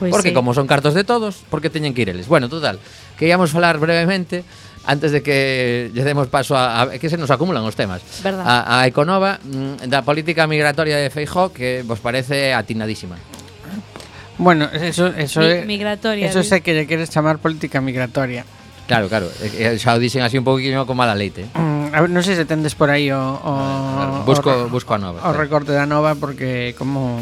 Pois Porque sí. como son cartos de todos, porque teñen que ir eles. Bueno, total, que íamos falar brevemente antes de que lle demos paso a, a que se nos acumulan os temas. Verdad. A, a Econova mm, da política migratoria de Feijóo que vos parece atinadísima. Bueno, eso, eso Mi- é- migratoria, Eso di. sé que lle queres chamar política migratoria. Claro, claro, eh, eh, xa o dixen así un poquinho con mala leite. Mm, a ver, non sei se tendes por aí o, o Busco, o, busco a nova. o recorte da nova porque como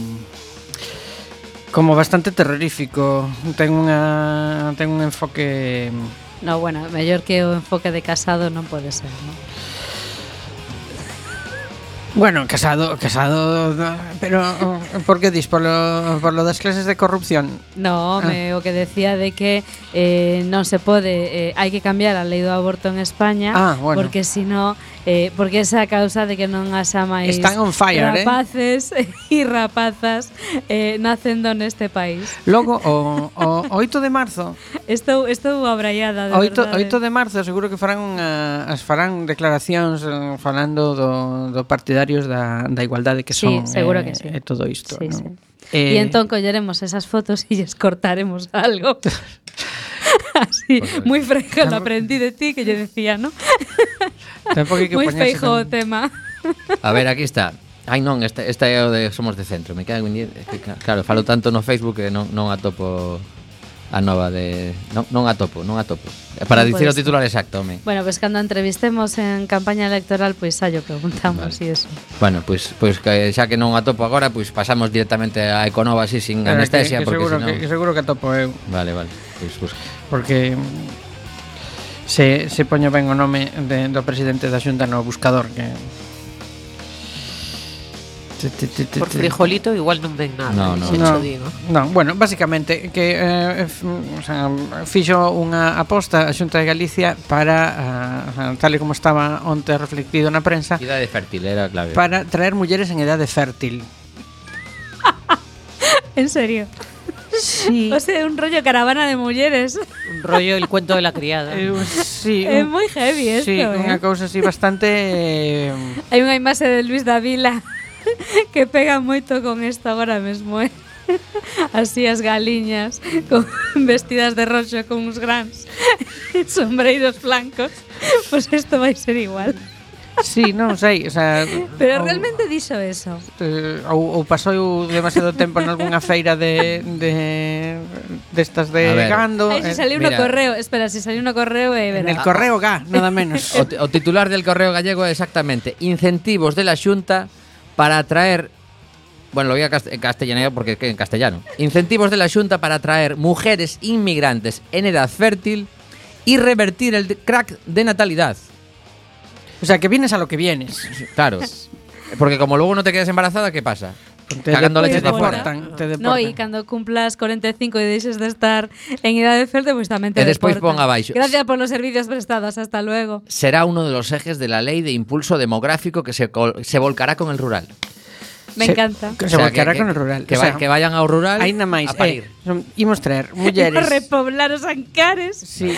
como bastante terrorífico, ten unha ten un enfoque No, bueno, mellor que o enfoque de Casado non pode ser, ¿no? bueno, casado, casado, pero por que dis por lo, por lo das clases de corrupción? No, me, o que decía de que eh, non se pode, eh, hai que cambiar a lei do aborto en España, Ah, bueno. porque si no, eh, porque esa causa de que non haxa máis Están on fire, eh? rapaces e rapazas eh, nacendo neste país. Logo o, o oito de marzo, Estou, estou abraiada, de oito, verdade. oito de marzo seguro que farán unha, as farán declaracións eh, falando do, do partidarios da, da igualdade que Sí, son seguro eh, que sí. e todo isto, Sí, non? sí. Eh, Y entón colleremos esas fotos y les cortaremos algo. Así, muy fresco, lo aprendí de ti, que yo decía, ¿no? tampouco hai que Muy poñerse feijo o con- tema. A ver, aquí está. Ai non, esta, esta é o de Somos de Centro. Me cago en diez. É que, claro, falo tanto no Facebook que non, non atopo a nova de... Non, non atopo, non atopo. Para Non dicir o podes. titular exacto, home. Bueno, pues cando entrevistemos en campaña electoral, pues xa yo preguntamos Vale. y eso. Bueno, pois pues, pues, que xa que non atopo agora, pois pues pasamos directamente a Econova así sin Pero que- anestesia, que, porque seguro, senón... que, que seguro que atopo eu. Vale, vale. Pois pues, busca. Porque mm, se, se poño ben o nome de, do presidente da Xunta no buscador que Ti, ti, ti, ti, Por ti. frijolito igual non ven nada. No, eh, no. xa No, cho digo. no, bueno, básicamente que eh, f, o sea, fixo unha aposta a Xunta de Galicia para uh, tal e como estaba onte reflectido na prensa Idade fértil era a clave. para traer mulleres en edade fértil. En serio. Sí. O sea, un rollo caravana de mujeres. Un rollo el cuento de la criada. Eh, sí, Es un- muy heavy esto, sí, ¿eh? unha cousa así bastante eh, Hai unha imaxe de Luis Davila que pega moito con isto agora mesmo, eh? Así as galiñas con vestidas de roxo con uns grans sombreiros blancos. Pues isto vai ser igual. sí, non sei, o sea, Pero ou- realmente dixo eso. eh, ou, ou pasou demasiado tempo en algunha feira de de destas de A ver. gando. Ai, eh, si saliu no mira. correo, espera, si saliu no correo e en verá. el correo G, nada menos. O, o titular del Correo Gallego é exactamente incentivos de la Xunta para atraer. Bueno, lo voy a cast- en castellano porque es que en castellano. Incentivos de la Xunta para atraer mujeres inmigrantes en edad fértil y revertir el de- crack de natalidad. O sea, que vienes a lo que vienes. Claro. Porque como luego no te quedas embarazada, ¿qué pasa? Te Cagando de- leches te pa' fuera. deportan, te deportan. No, y cando cumplas cuarenta y cinco y deixes de estar en edad de ferte, pues tamén te E despois deportan. pon abaixo. Gracias por los servicios prestados, hasta luego. Será uno de los ejes de la ley de impulso demográfico que se, col- se volcará con el rural. Me Se- encanta. Que O se sea, volcará que- con el rural. Que, O va- sea, que vayan ao rural Ainda máis, a parir. eh, son- imos traer A mulleres repoblar os Ancares sí,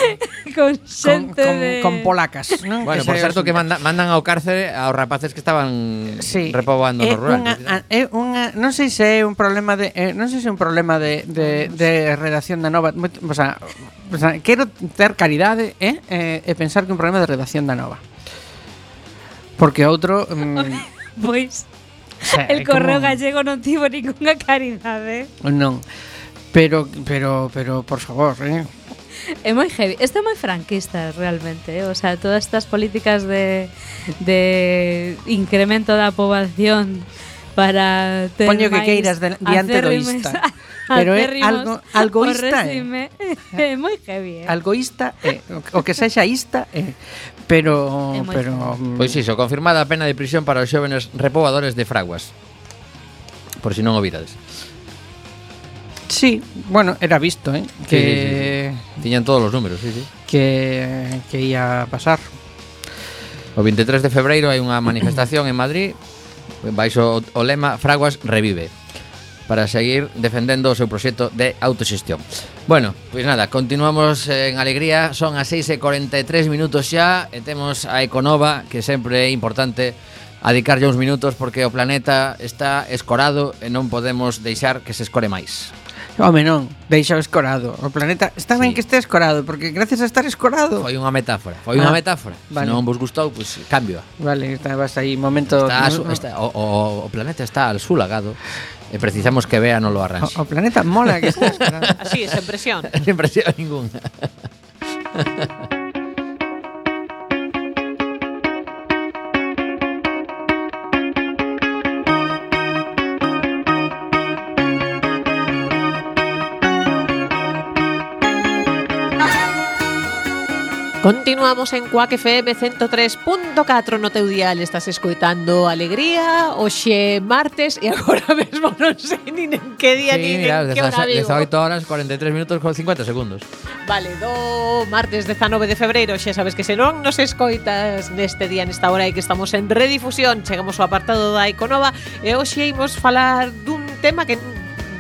con con, xente con, de... con polacas, non? Bueno, por Ese é o certo que asunto. manda, mandan ao cárcere aos rapaces que estaban Sí. repoboando É no rural. unha, a- é unha, non sei se é un problema de eh, non sei se é un problema de, de, de redacción da Nova, Moit- o sea, o sea, quero ter caridade, eh, eh, e pensar que é un problema de redacción da Nova. Porque outro mm, Pois, o sea, el é correo como- gallego non tivo ninguna caridade. Non. Pero pero pero por favor, eh. É moi heavy. Isto é moi franquista realmente, eh? O sea, todas estas políticas de, de incremento da poboación para ter Poño que máis queiras de- diante do acérrimos- ista. Pero é acérrimos algo ao algoísta, eh. réxime. É moi heavy, eh? Algoísta, eh, o, o que sexa ista, eh, pero É moi pero mm, Pois iso, confirmada a pena de prisión para os xóvenes repobadores de fraguas. Por si non o virades. sí, bueno, era visto, eh, que Sí, sí, sí. Tiñan todos os números, sí, sí. que que ia pasar. O veintitrés de febreiro hai unha manifestación en Madrid baixo o lema Fraguas revive para seguir defendendo o seu proxecto de autoxestión. Bueno, pois nada, continuamos en alegría. Son as seis e cuarenta e tres minutos xa e temos a Econova, que sempre é importante adicarlle uns minutos porque o planeta está escorado e non podemos deixar que se escore máis. Home, non, deixa o escorado. O planeta está ben Sí. que este escorado, porque gracias a estar escorado. Foi unha metáfora, foi unha Ah, metáfora. vale. Se non vos gustou, pois cambio. Vale, está, vas aí momento. Está, no, no. está, o, o, o planeta está al sulagado e precisamos que vea non lo arranxe. O, o planeta mola que está escorado. Así, esa impresión. Sin presión ninguna. Continuamos en Quack F M ciento tres punto catro no teu dial. Estás escoitando Alegría, hoxe martes e agora mesmo non sei nin en que día Sí, nin mira, en que hora vivo. dezaoito horas, cuarenta e tres minutos con cincuenta segundos. Vale, do martes dezanove de febreiro, xa sabes que se non nos escoitas neste día, nesta hora e que estamos en redifusión, chegamos ao apartado da Econova e hoxe imos falar dun tema que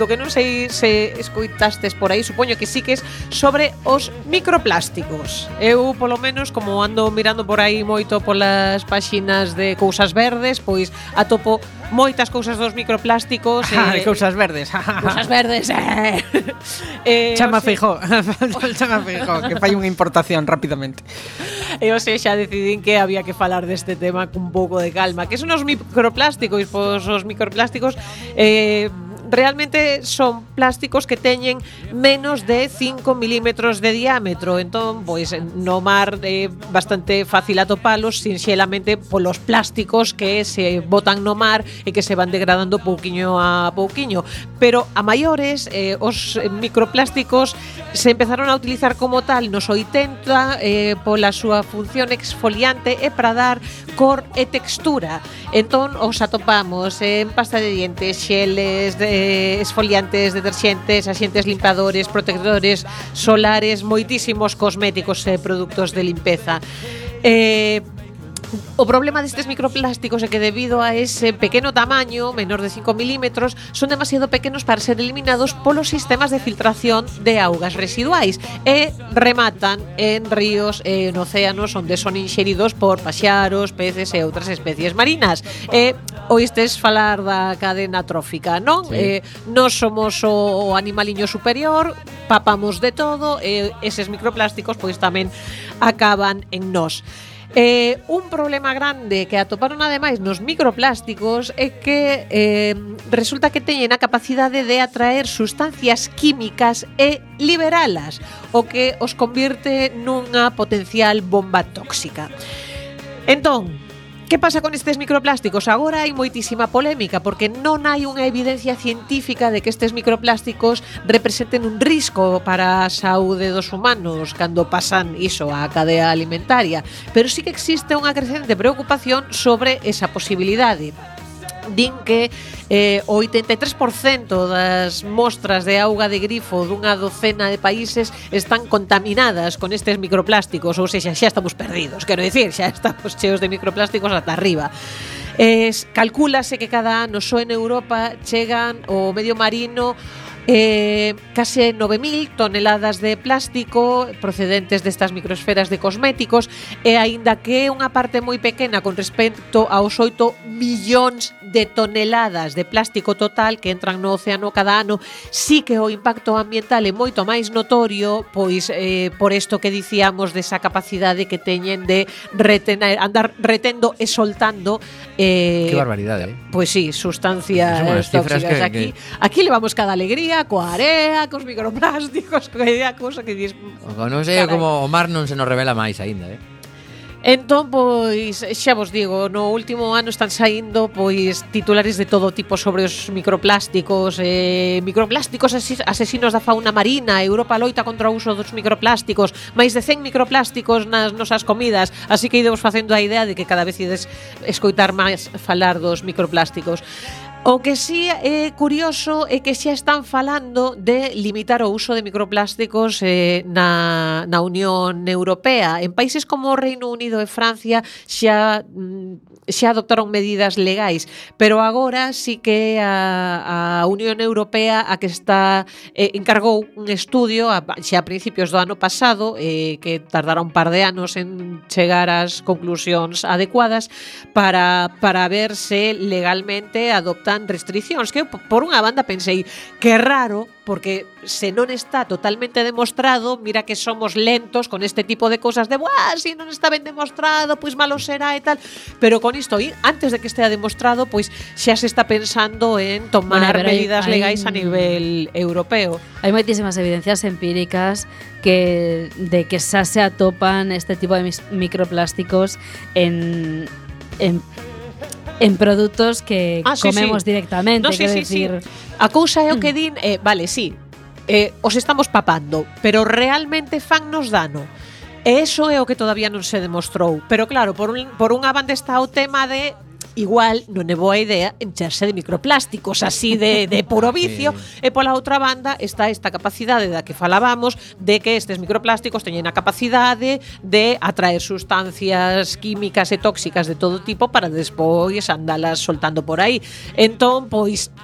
do que non sei se escoitastes por aí, supoño que sí que es sobre os microplásticos. Eu, polo menos, como ando mirando por aí moito polas páxinas de cousas verdes, pois atopo moitas cousas dos microplásticos. Ah, eh, cousas verdes. cousas verdes, eh. eh, Chama o sea, Feijó. Chama Feijó, que fai unha importación rapidamente. E o sea, xa decidín que había que falar deste tema cun pouco de calma. Que son os microplásticos? Pois os microplásticos eh, realmente son plásticos que teñen menos de cinco milímetros de diámetro. Entón, pois no mar é bastante fácil atopalos sinxelamente polos plásticos que se botan no mar e que se van degradando pouquiño a pouquiño. Pero a maiores, eh, os microplásticos se empezaron a utilizar como tal nos oitenta eh, pola súa función exfoliante e para dar cor e textura. Entón, os atopamos en pasta de dientes, xeles, de esfoliantes, deterxentes, axentes limpadores, protectores solares, moitísimos cosméticos e produtos de limpeza. Eh, O problema destes microplásticos é que debido a ese pequeno tamaño, menor de cinco milímetros, son demasiado pequenos para ser eliminados polos sistemas de filtración de augas residuais e rematan en ríos e en océanos onde son inxeridos por paxaros, peces e outras especies marinas. E oístes falar da cadena trófica, non? Sí. Eh, nós somos o, o animaliño superior, papamos de todo e eses microplásticos pois tamén acaban en nós. Eh, un problema grande que atoparon ademais nos microplásticos é que eh, resulta que teñen a capacidade de atraer sustancias químicas e liberalas, o que os convirte nunha potencial bomba tóxica. Entón, Que pasa con estes microplásticos? Agora hai moitísima polémica porque non hai unha evidencia científica de que estes microplásticos representen un risco para a saúde dos humanos cando pasan iso á cadea alimentaria, pero sí que existe unha crecente preocupación sobre esa posibilidade. Din que eh, o oitenta e tres por cento das mostras de auga de grifo dunha docena de países están contaminadas con estes microplásticos, ou seja, xa estamos perdidos, quero dicir, xa estamos cheos de microplásticos ata arriba. Es, calcúlase que cada ano só en Europa chegan ao medio marino Eh, case nove mil toneladas de plástico procedentes destas microesferas de cosméticos, e aínda que é unha parte moi pequena con respecto aos oito millóns de toneladas de plástico total que entran no océano cada ano, sí que o impacto ambiental é moito máis notorio, pois eh, por isto que dicíamos desa capacidade que teñen de retener, andar retendo e soltando eh, Qué barbaridade, eh? Pois sí, sustancias tóxicas que, aquí, que... aquí levamos cada alegría coa area, cos microplásticos, coa cousa que dis... Non sei como o mar non se nos revela máis aínda, eh? Entón, pois, xa vos digo, no último ano están saindo pois titulares de todo tipo sobre os microplásticos, eh, microplásticos asesinos da fauna marina, Europa loita contra o uso dos microplásticos, máis de cen microplásticos nas nosas comidas, así que idemos facendo a idea de que cada vez ides escoitar máis falar dos microplásticos. O que sí é curioso é que xa están falando de limitar o uso de microplásticos eh, na, na Unión Europea. En países como o Reino Unido e Francia xa, xa adoptaron medidas legais, pero agora sí que a, a Unión Europea a que está eh, encargou un estudio a, xa a principios do ano pasado, eh, que tardará un par de anos en chegar ás conclusións adecuadas para, para ver se legalmente adoptan restriccións, que por unha banda pensei que é raro, porque se non está totalmente demostrado, mira que somos lentos con este tipo de cosas de, buah, si non está ben demostrado, pois malo será e tal, pero con isto, antes de que estea demostrado, pois xa se está pensando en tomar bueno, medidas hay, legais hay, a nivel europeo. Hai moitísimas evidencias empíricas que de que xa se atopan este tipo de microplásticos en en en produtos que ah, sí, comemos sí. directamente, no, sí, quero sí, decir. Sí. A cousa é o que din, eh, vale, sí, eh, os estamos papando, pero realmente fannos dano. E eso é o que todavía non se demostrou. Pero claro, por, un, por unha banda está o tema de igual non é boa idea encharse de microplásticos así de, de puro vicio, sí. E pola outra banda está esta capacidade da que falábamos de que estes microplásticos teñen a capacidade de atraer sustancias químicas e tóxicas de todo tipo para despois andalas soltando por aí. Entón, pois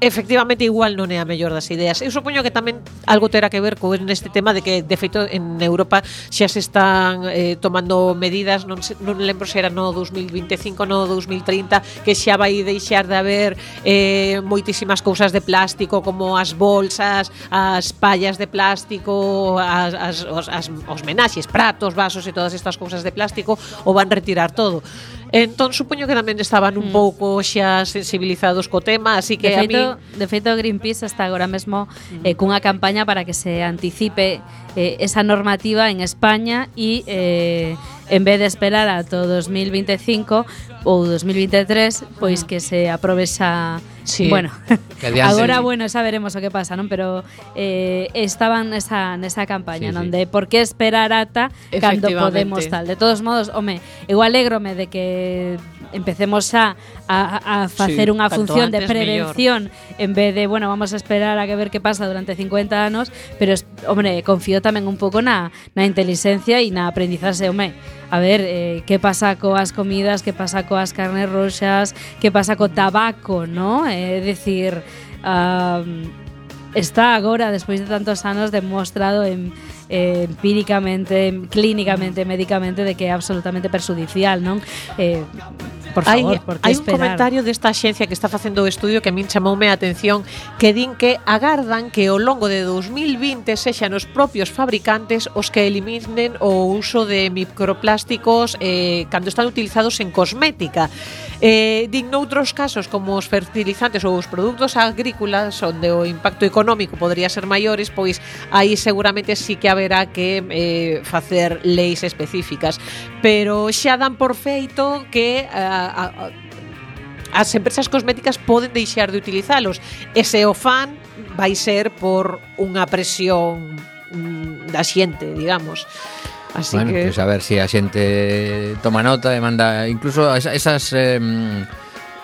efectivamente igual non é a mellor das ideas. Eu supoño que tamén algo terá que ver con este tema de que de feito en Europa xa se están eh, tomando medidas, non, se, non lembro se era no dos mil vinte e cinco, no dos mil trinta, que xa vai deixar de haber eh, moitísimas cousas de plástico como as bolsas, as pallas de plástico, as, as, os, as, os menaxes, pratos, vasos e todas estas cousas de plástico, o van retirar todo. Entón, supoño que tamén estaban un pouco xa sensibilizados co tema, así que de feito, a mí... De feito, Greenpeace está agora mesmo eh, cunha campaña para que se anticipe eh, esa normativa en España e eh, en vez de esperar ata o dos mil vinte e cinco ou dos mil vinte e tres, pois que se aprobe xa. Sí. Bueno, agora, bueno, xa veremos o que pasa, non? Pero eh, estaban nesa, nesa campaña, sí, non? Sí. De por que esperar ata cando podemos tal. De todos modos, home, eu alégrome de que empecemos xa a, a facer sí, unha función de prevención mellor. En vez de, bueno, vamos a esperar a que ver que pasa durante cincuenta anos, pero, hombre, confío tamén un pouco na, na inteligencia e na aprendizaxe, home. A ver, eh, que pasa coas comidas, que pasa coas carnes roxas, que pasa co tabaco, ¿no? É eh, dicir, um, está agora, despois de tantos anos, demostrado en, eh, empíricamente, clínicamente, médicamente, de que é absolutamente perjudicial, non? Eh, Por Hai, favor, por que hai un esperar? comentario desta axencia que está facendo o estudio que a min chamoume a atención, que din que agardan que ao longo de dous mil vinte sexan os propios fabricantes os que eliminen o uso de microplásticos eh, cando están utilizados en cosmética. Eh, din noutros casos como os fertilizantes ou os produtos agrícolas onde o impacto económico podría ser maiores, pois aí seguramente sí que haberá que eh, facer leis específicas, pero xa dan por feito que a, a, a, as empresas cosméticas poden deixar de utilizalos, e se o fan vai ser por unha presión mm, da xente, digamos. Así bueno, que pues a ver si a xente toma nota e manda incluso esas, esas eh,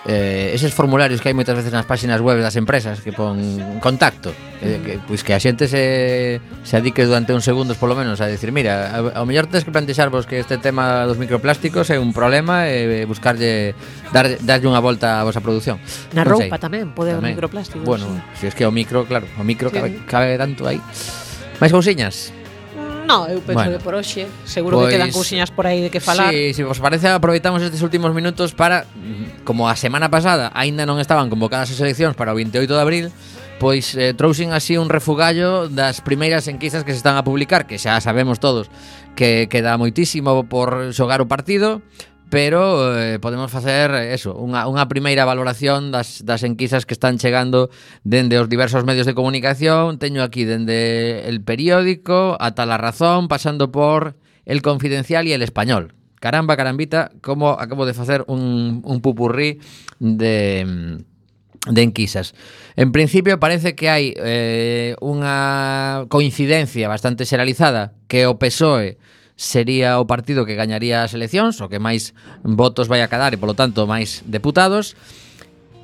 eh, eses formularios que hai moitas veces nas páxinas web das empresas que pon contacto, eh, que, pois que a xente se, se adique durante uns segundos polo menos a decir, mira, ao mellor tens que plantexarvos que este tema dos microplásticos é un problema e buscarlle dar, darlle unha volta a vosa produción. na Non roupa sei. tamén pode haber Tamén. microplásticos. Bueno, sí. si es que o micro, claro, o micro Sí. cabe, cabe tanto aí. Máis cousiñas? No, eu penso Bueno. que por hoxe seguro Pois, que quedan cousiñas por aí de que falar. Sí, si vos parece, aproveitamos estes últimos minutos para, como a semana pasada aínda non estaban convocadas as eleccións para o veintioito de abril, pois eh, trouxen así un refugallo das primeiras enquisas que se están a publicar, que xa sabemos todos que queda moitísimo por xogar o partido, pero eh, podemos facer eso, unha, unha primeira valoración das, das enquisas que están chegando dende os diversos medios de comunicación. Teño aquí dende El Periódico ata La Razón, pasando por El Confidencial e El Español. Caramba, carambita, como acabo de facer un, un pupurrí de, de enquisas. En principio parece que hai eh, unha coincidencia bastante xeralizada que o P S O E sería o partido que gañaría as eleccións, o que máis votos vai a cadar e, polo tanto, máis deputados.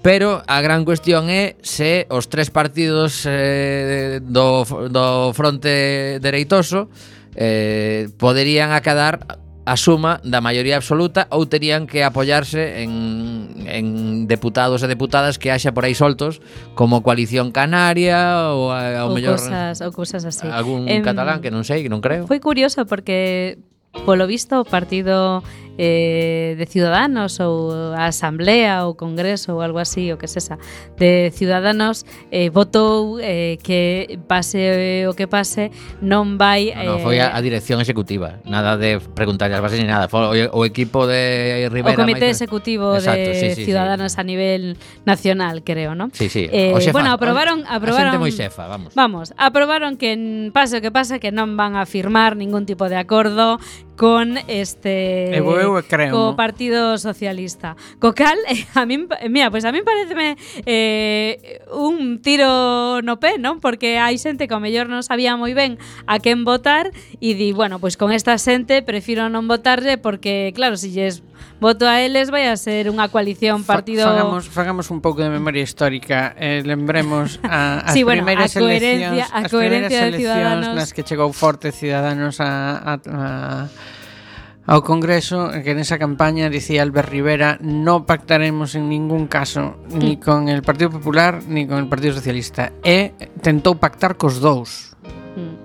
Pero a gran cuestión é se os tres partidos eh, do, do fronte dereitoso eh, poderían acadar a suma da maioría absoluta ou terían que apoiarse en, en deputados e deputadas que haxa por aí soltos, como Coalición Canaria ou ao ou mellor cosas, ou cosas así. algún Em, catalán que non sei, que non creo. Foi curioso porque polo visto o partido eh, de Ciudadanos ou a Asamblea ou Congreso ou algo así, o que sesa, de Ciudadanos eh, votou eh, que pase o que pase non vai No, no, eh, foi a, a dirección executiva, nada de preguntar as bases ni nada, foi o, o equipo de Rivera. o comité máis- executivo Exacto, de sí, sí, Ciudadanos sí. a nivel nacional, creo, ¿no? Sí, sí, Eh, o xefazo, bueno, aprobaron, a aprobaron xente moi xefa, vamos. Vamos, aprobaron que en pase o que pase que non van a firmar ningún tipo de acordo con este Eu, eu creo. co Partido Socialista. Co cal, eh, a min, mira, pois pues a min pareceme eh, un tiro no pé, non? Porque hai xente que ao mellor non sabía moi ben a quen votar e di, bueno, pois pues con esta xente prefiro non votarlle porque, claro, se lles voto a eles vai a ser unha coalición Fa- partido... Fagamos, fagamos un pouco de memoria histórica. Eh, lembremos a, as Sí, bueno, primeiras a coherencia- eleccións, a as coherencia primeiras de eleccións Ciudadanos. nas que chegou forte Ciudadanos a, a, a ao Congreso, que nesa campaña dicía Albert Rivera: no pactaremos en ningún caso ni con el Partido Popular ni con el Partido Socialista, e tentou pactar cos dous. Mm.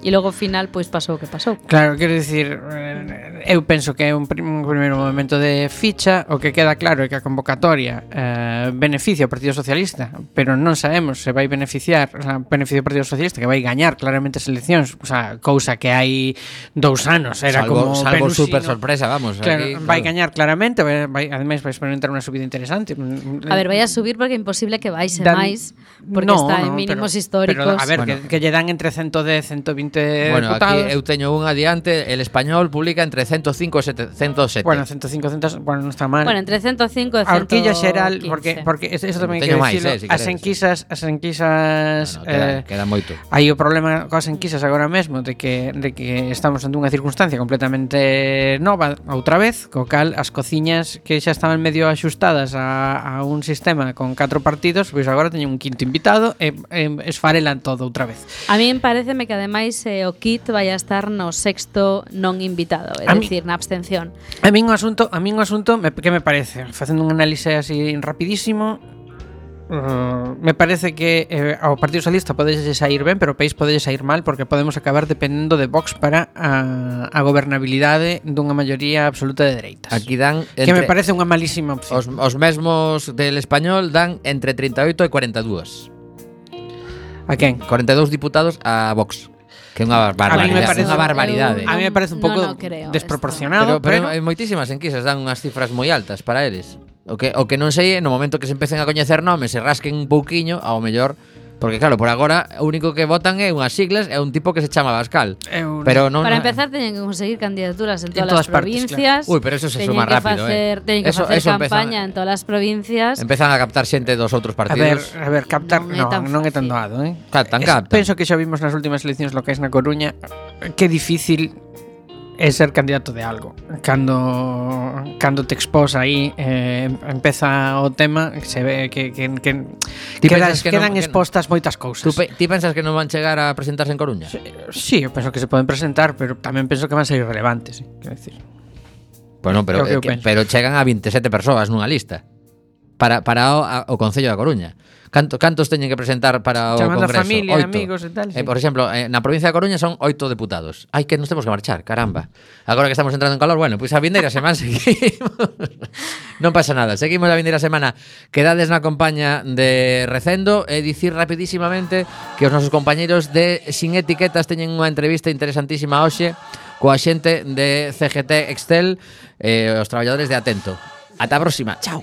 E logo ao final pois pasou o que pasou. Claro, quero dicir, eh, eu penso que é un, prim, un primeiro momento de ficha. O que queda claro é que a convocatoria eh, beneficia ao Partido Socialista, pero non sabemos se vai beneficiar, o sea, beneficia ao Partido Socialista, que vai gañar claramente as eleccións, o sea, cousa que hai dous anos era salvo, como salvo Penusino. super sorpresa, vamos. Claro, aquí, vai claro. gañar claramente, vai, vai, ademais vai experimentar unha subida interesante. A ver, vai a subir porque é imposible que baixe Dan- máis, porque No, está en no, mínimos pero, históricos. Pero, a ver, Bueno. que, que lle dan entre ciento dez, ciento veinte Bueno, deputados. aquí eu teño un adiante, El Español publica entre ciento cinco e ciento sete. Bueno, ciento cinco, cien, bueno, non está mal. Bueno, entre ciento cinco e A horquilla xeral, ciento porque quince. porque eso, eso tamén Teño quero máis, dicilo, eh, si as queres. enquisas, as enquisas No, no, queda, eh, queda moito. hai o problema coas enquisas agora mesmo de que de que estamos ante unha circunstancia completamente nova outra vez, co cal as cociñas que xa estaban medio axustadas a, a un sistema con catro partidos, pois agora teñen un quinto invitado e, e esfarelan todo outra vez. A min pareceme que ademais eh, o kit vai a estar no sexto non invitado, é A mi- dicir, na abstención. A min o asunto, a min o asunto me, que me parece, facendo un análise así rapidísimo, Uh, me parece que eh, ao Partido Socialista podes sair ben, pero o país pode sair mal, porque podemos acabar dependendo de Vox para a, a gobernabilidade dunha maioría absoluta de dereitas. Aquí dan que me entre, parece unha malísima opción. os, os mesmos del Español dan entre treinta e oito e cuarenta e dous. A quen? cuarenta e dous diputados a Vox. Que é unha barbaridade. A mí me parece unha barbaridade. A mí me parece un No, pouco no creo desproporcionado, Pero, pero, pero, en moitísimas enquisas dan unhas cifras moi altas para eles. O que, o que non sei é no momento que se empecen a coñecer nomes, se rasquen un pouquiño, ao mellor. Porque claro, por agora o único que votan é unhas siglas e un tipo que se chama Bascal. Eu- Pero non Para non- empezar, teñen que conseguir candidaturas en En todas, todas as partes, provincias. Uy, pero eso se Teñen suma que rápido, facer, eh. Teñen que Eso- facer eso empezan- campaña en todas as provincias. empezan a captar xente dos outros a ver, partidos. a ver, captar, Non é non, tan non é tan fácil. doado, eh. Captan, Es- captan. Penso que xa vimos nas últimas eleccións locais na Coruña que difícil é ser candidato de algo. Cando cando te expós aí eh, empeza o tema, se ve que que, que Ti quedan, pensas que quedan non- que- expostas moitas cousas. Tú pe- ti pensas que non van chegar a presentarse en Coruña? Sí, eu penso que se poden presentar, pero tamén penso que van ser irrelevantes, eh, quero decir. Bueno, pero, É o que eu eh, que- penso. pero chegan a veintisiete persoas nunha lista para, para o, a, o Concello da Coruña. Canto, cantos teñen que presentar para o Chamando a Congreso? familia, Oito. amigos e tal, sí. Eh, por exemplo, eh, na provincia da Coruña son oito deputados. Ai, que nos temos que marchar, caramba. Agora que estamos entrando en calor, bueno, pois pues a vindeira semana seguimos. Non pasa nada, seguimos a vindeira semana. Quedades na compañía de Recendo e dicir rapidísimamente que os nosos compañeiros de Sin Etiquetas teñen unha entrevista interesantísima hoxe coa xente de C G T Excel e os traballadores de Atento. Ata a próxima, chao.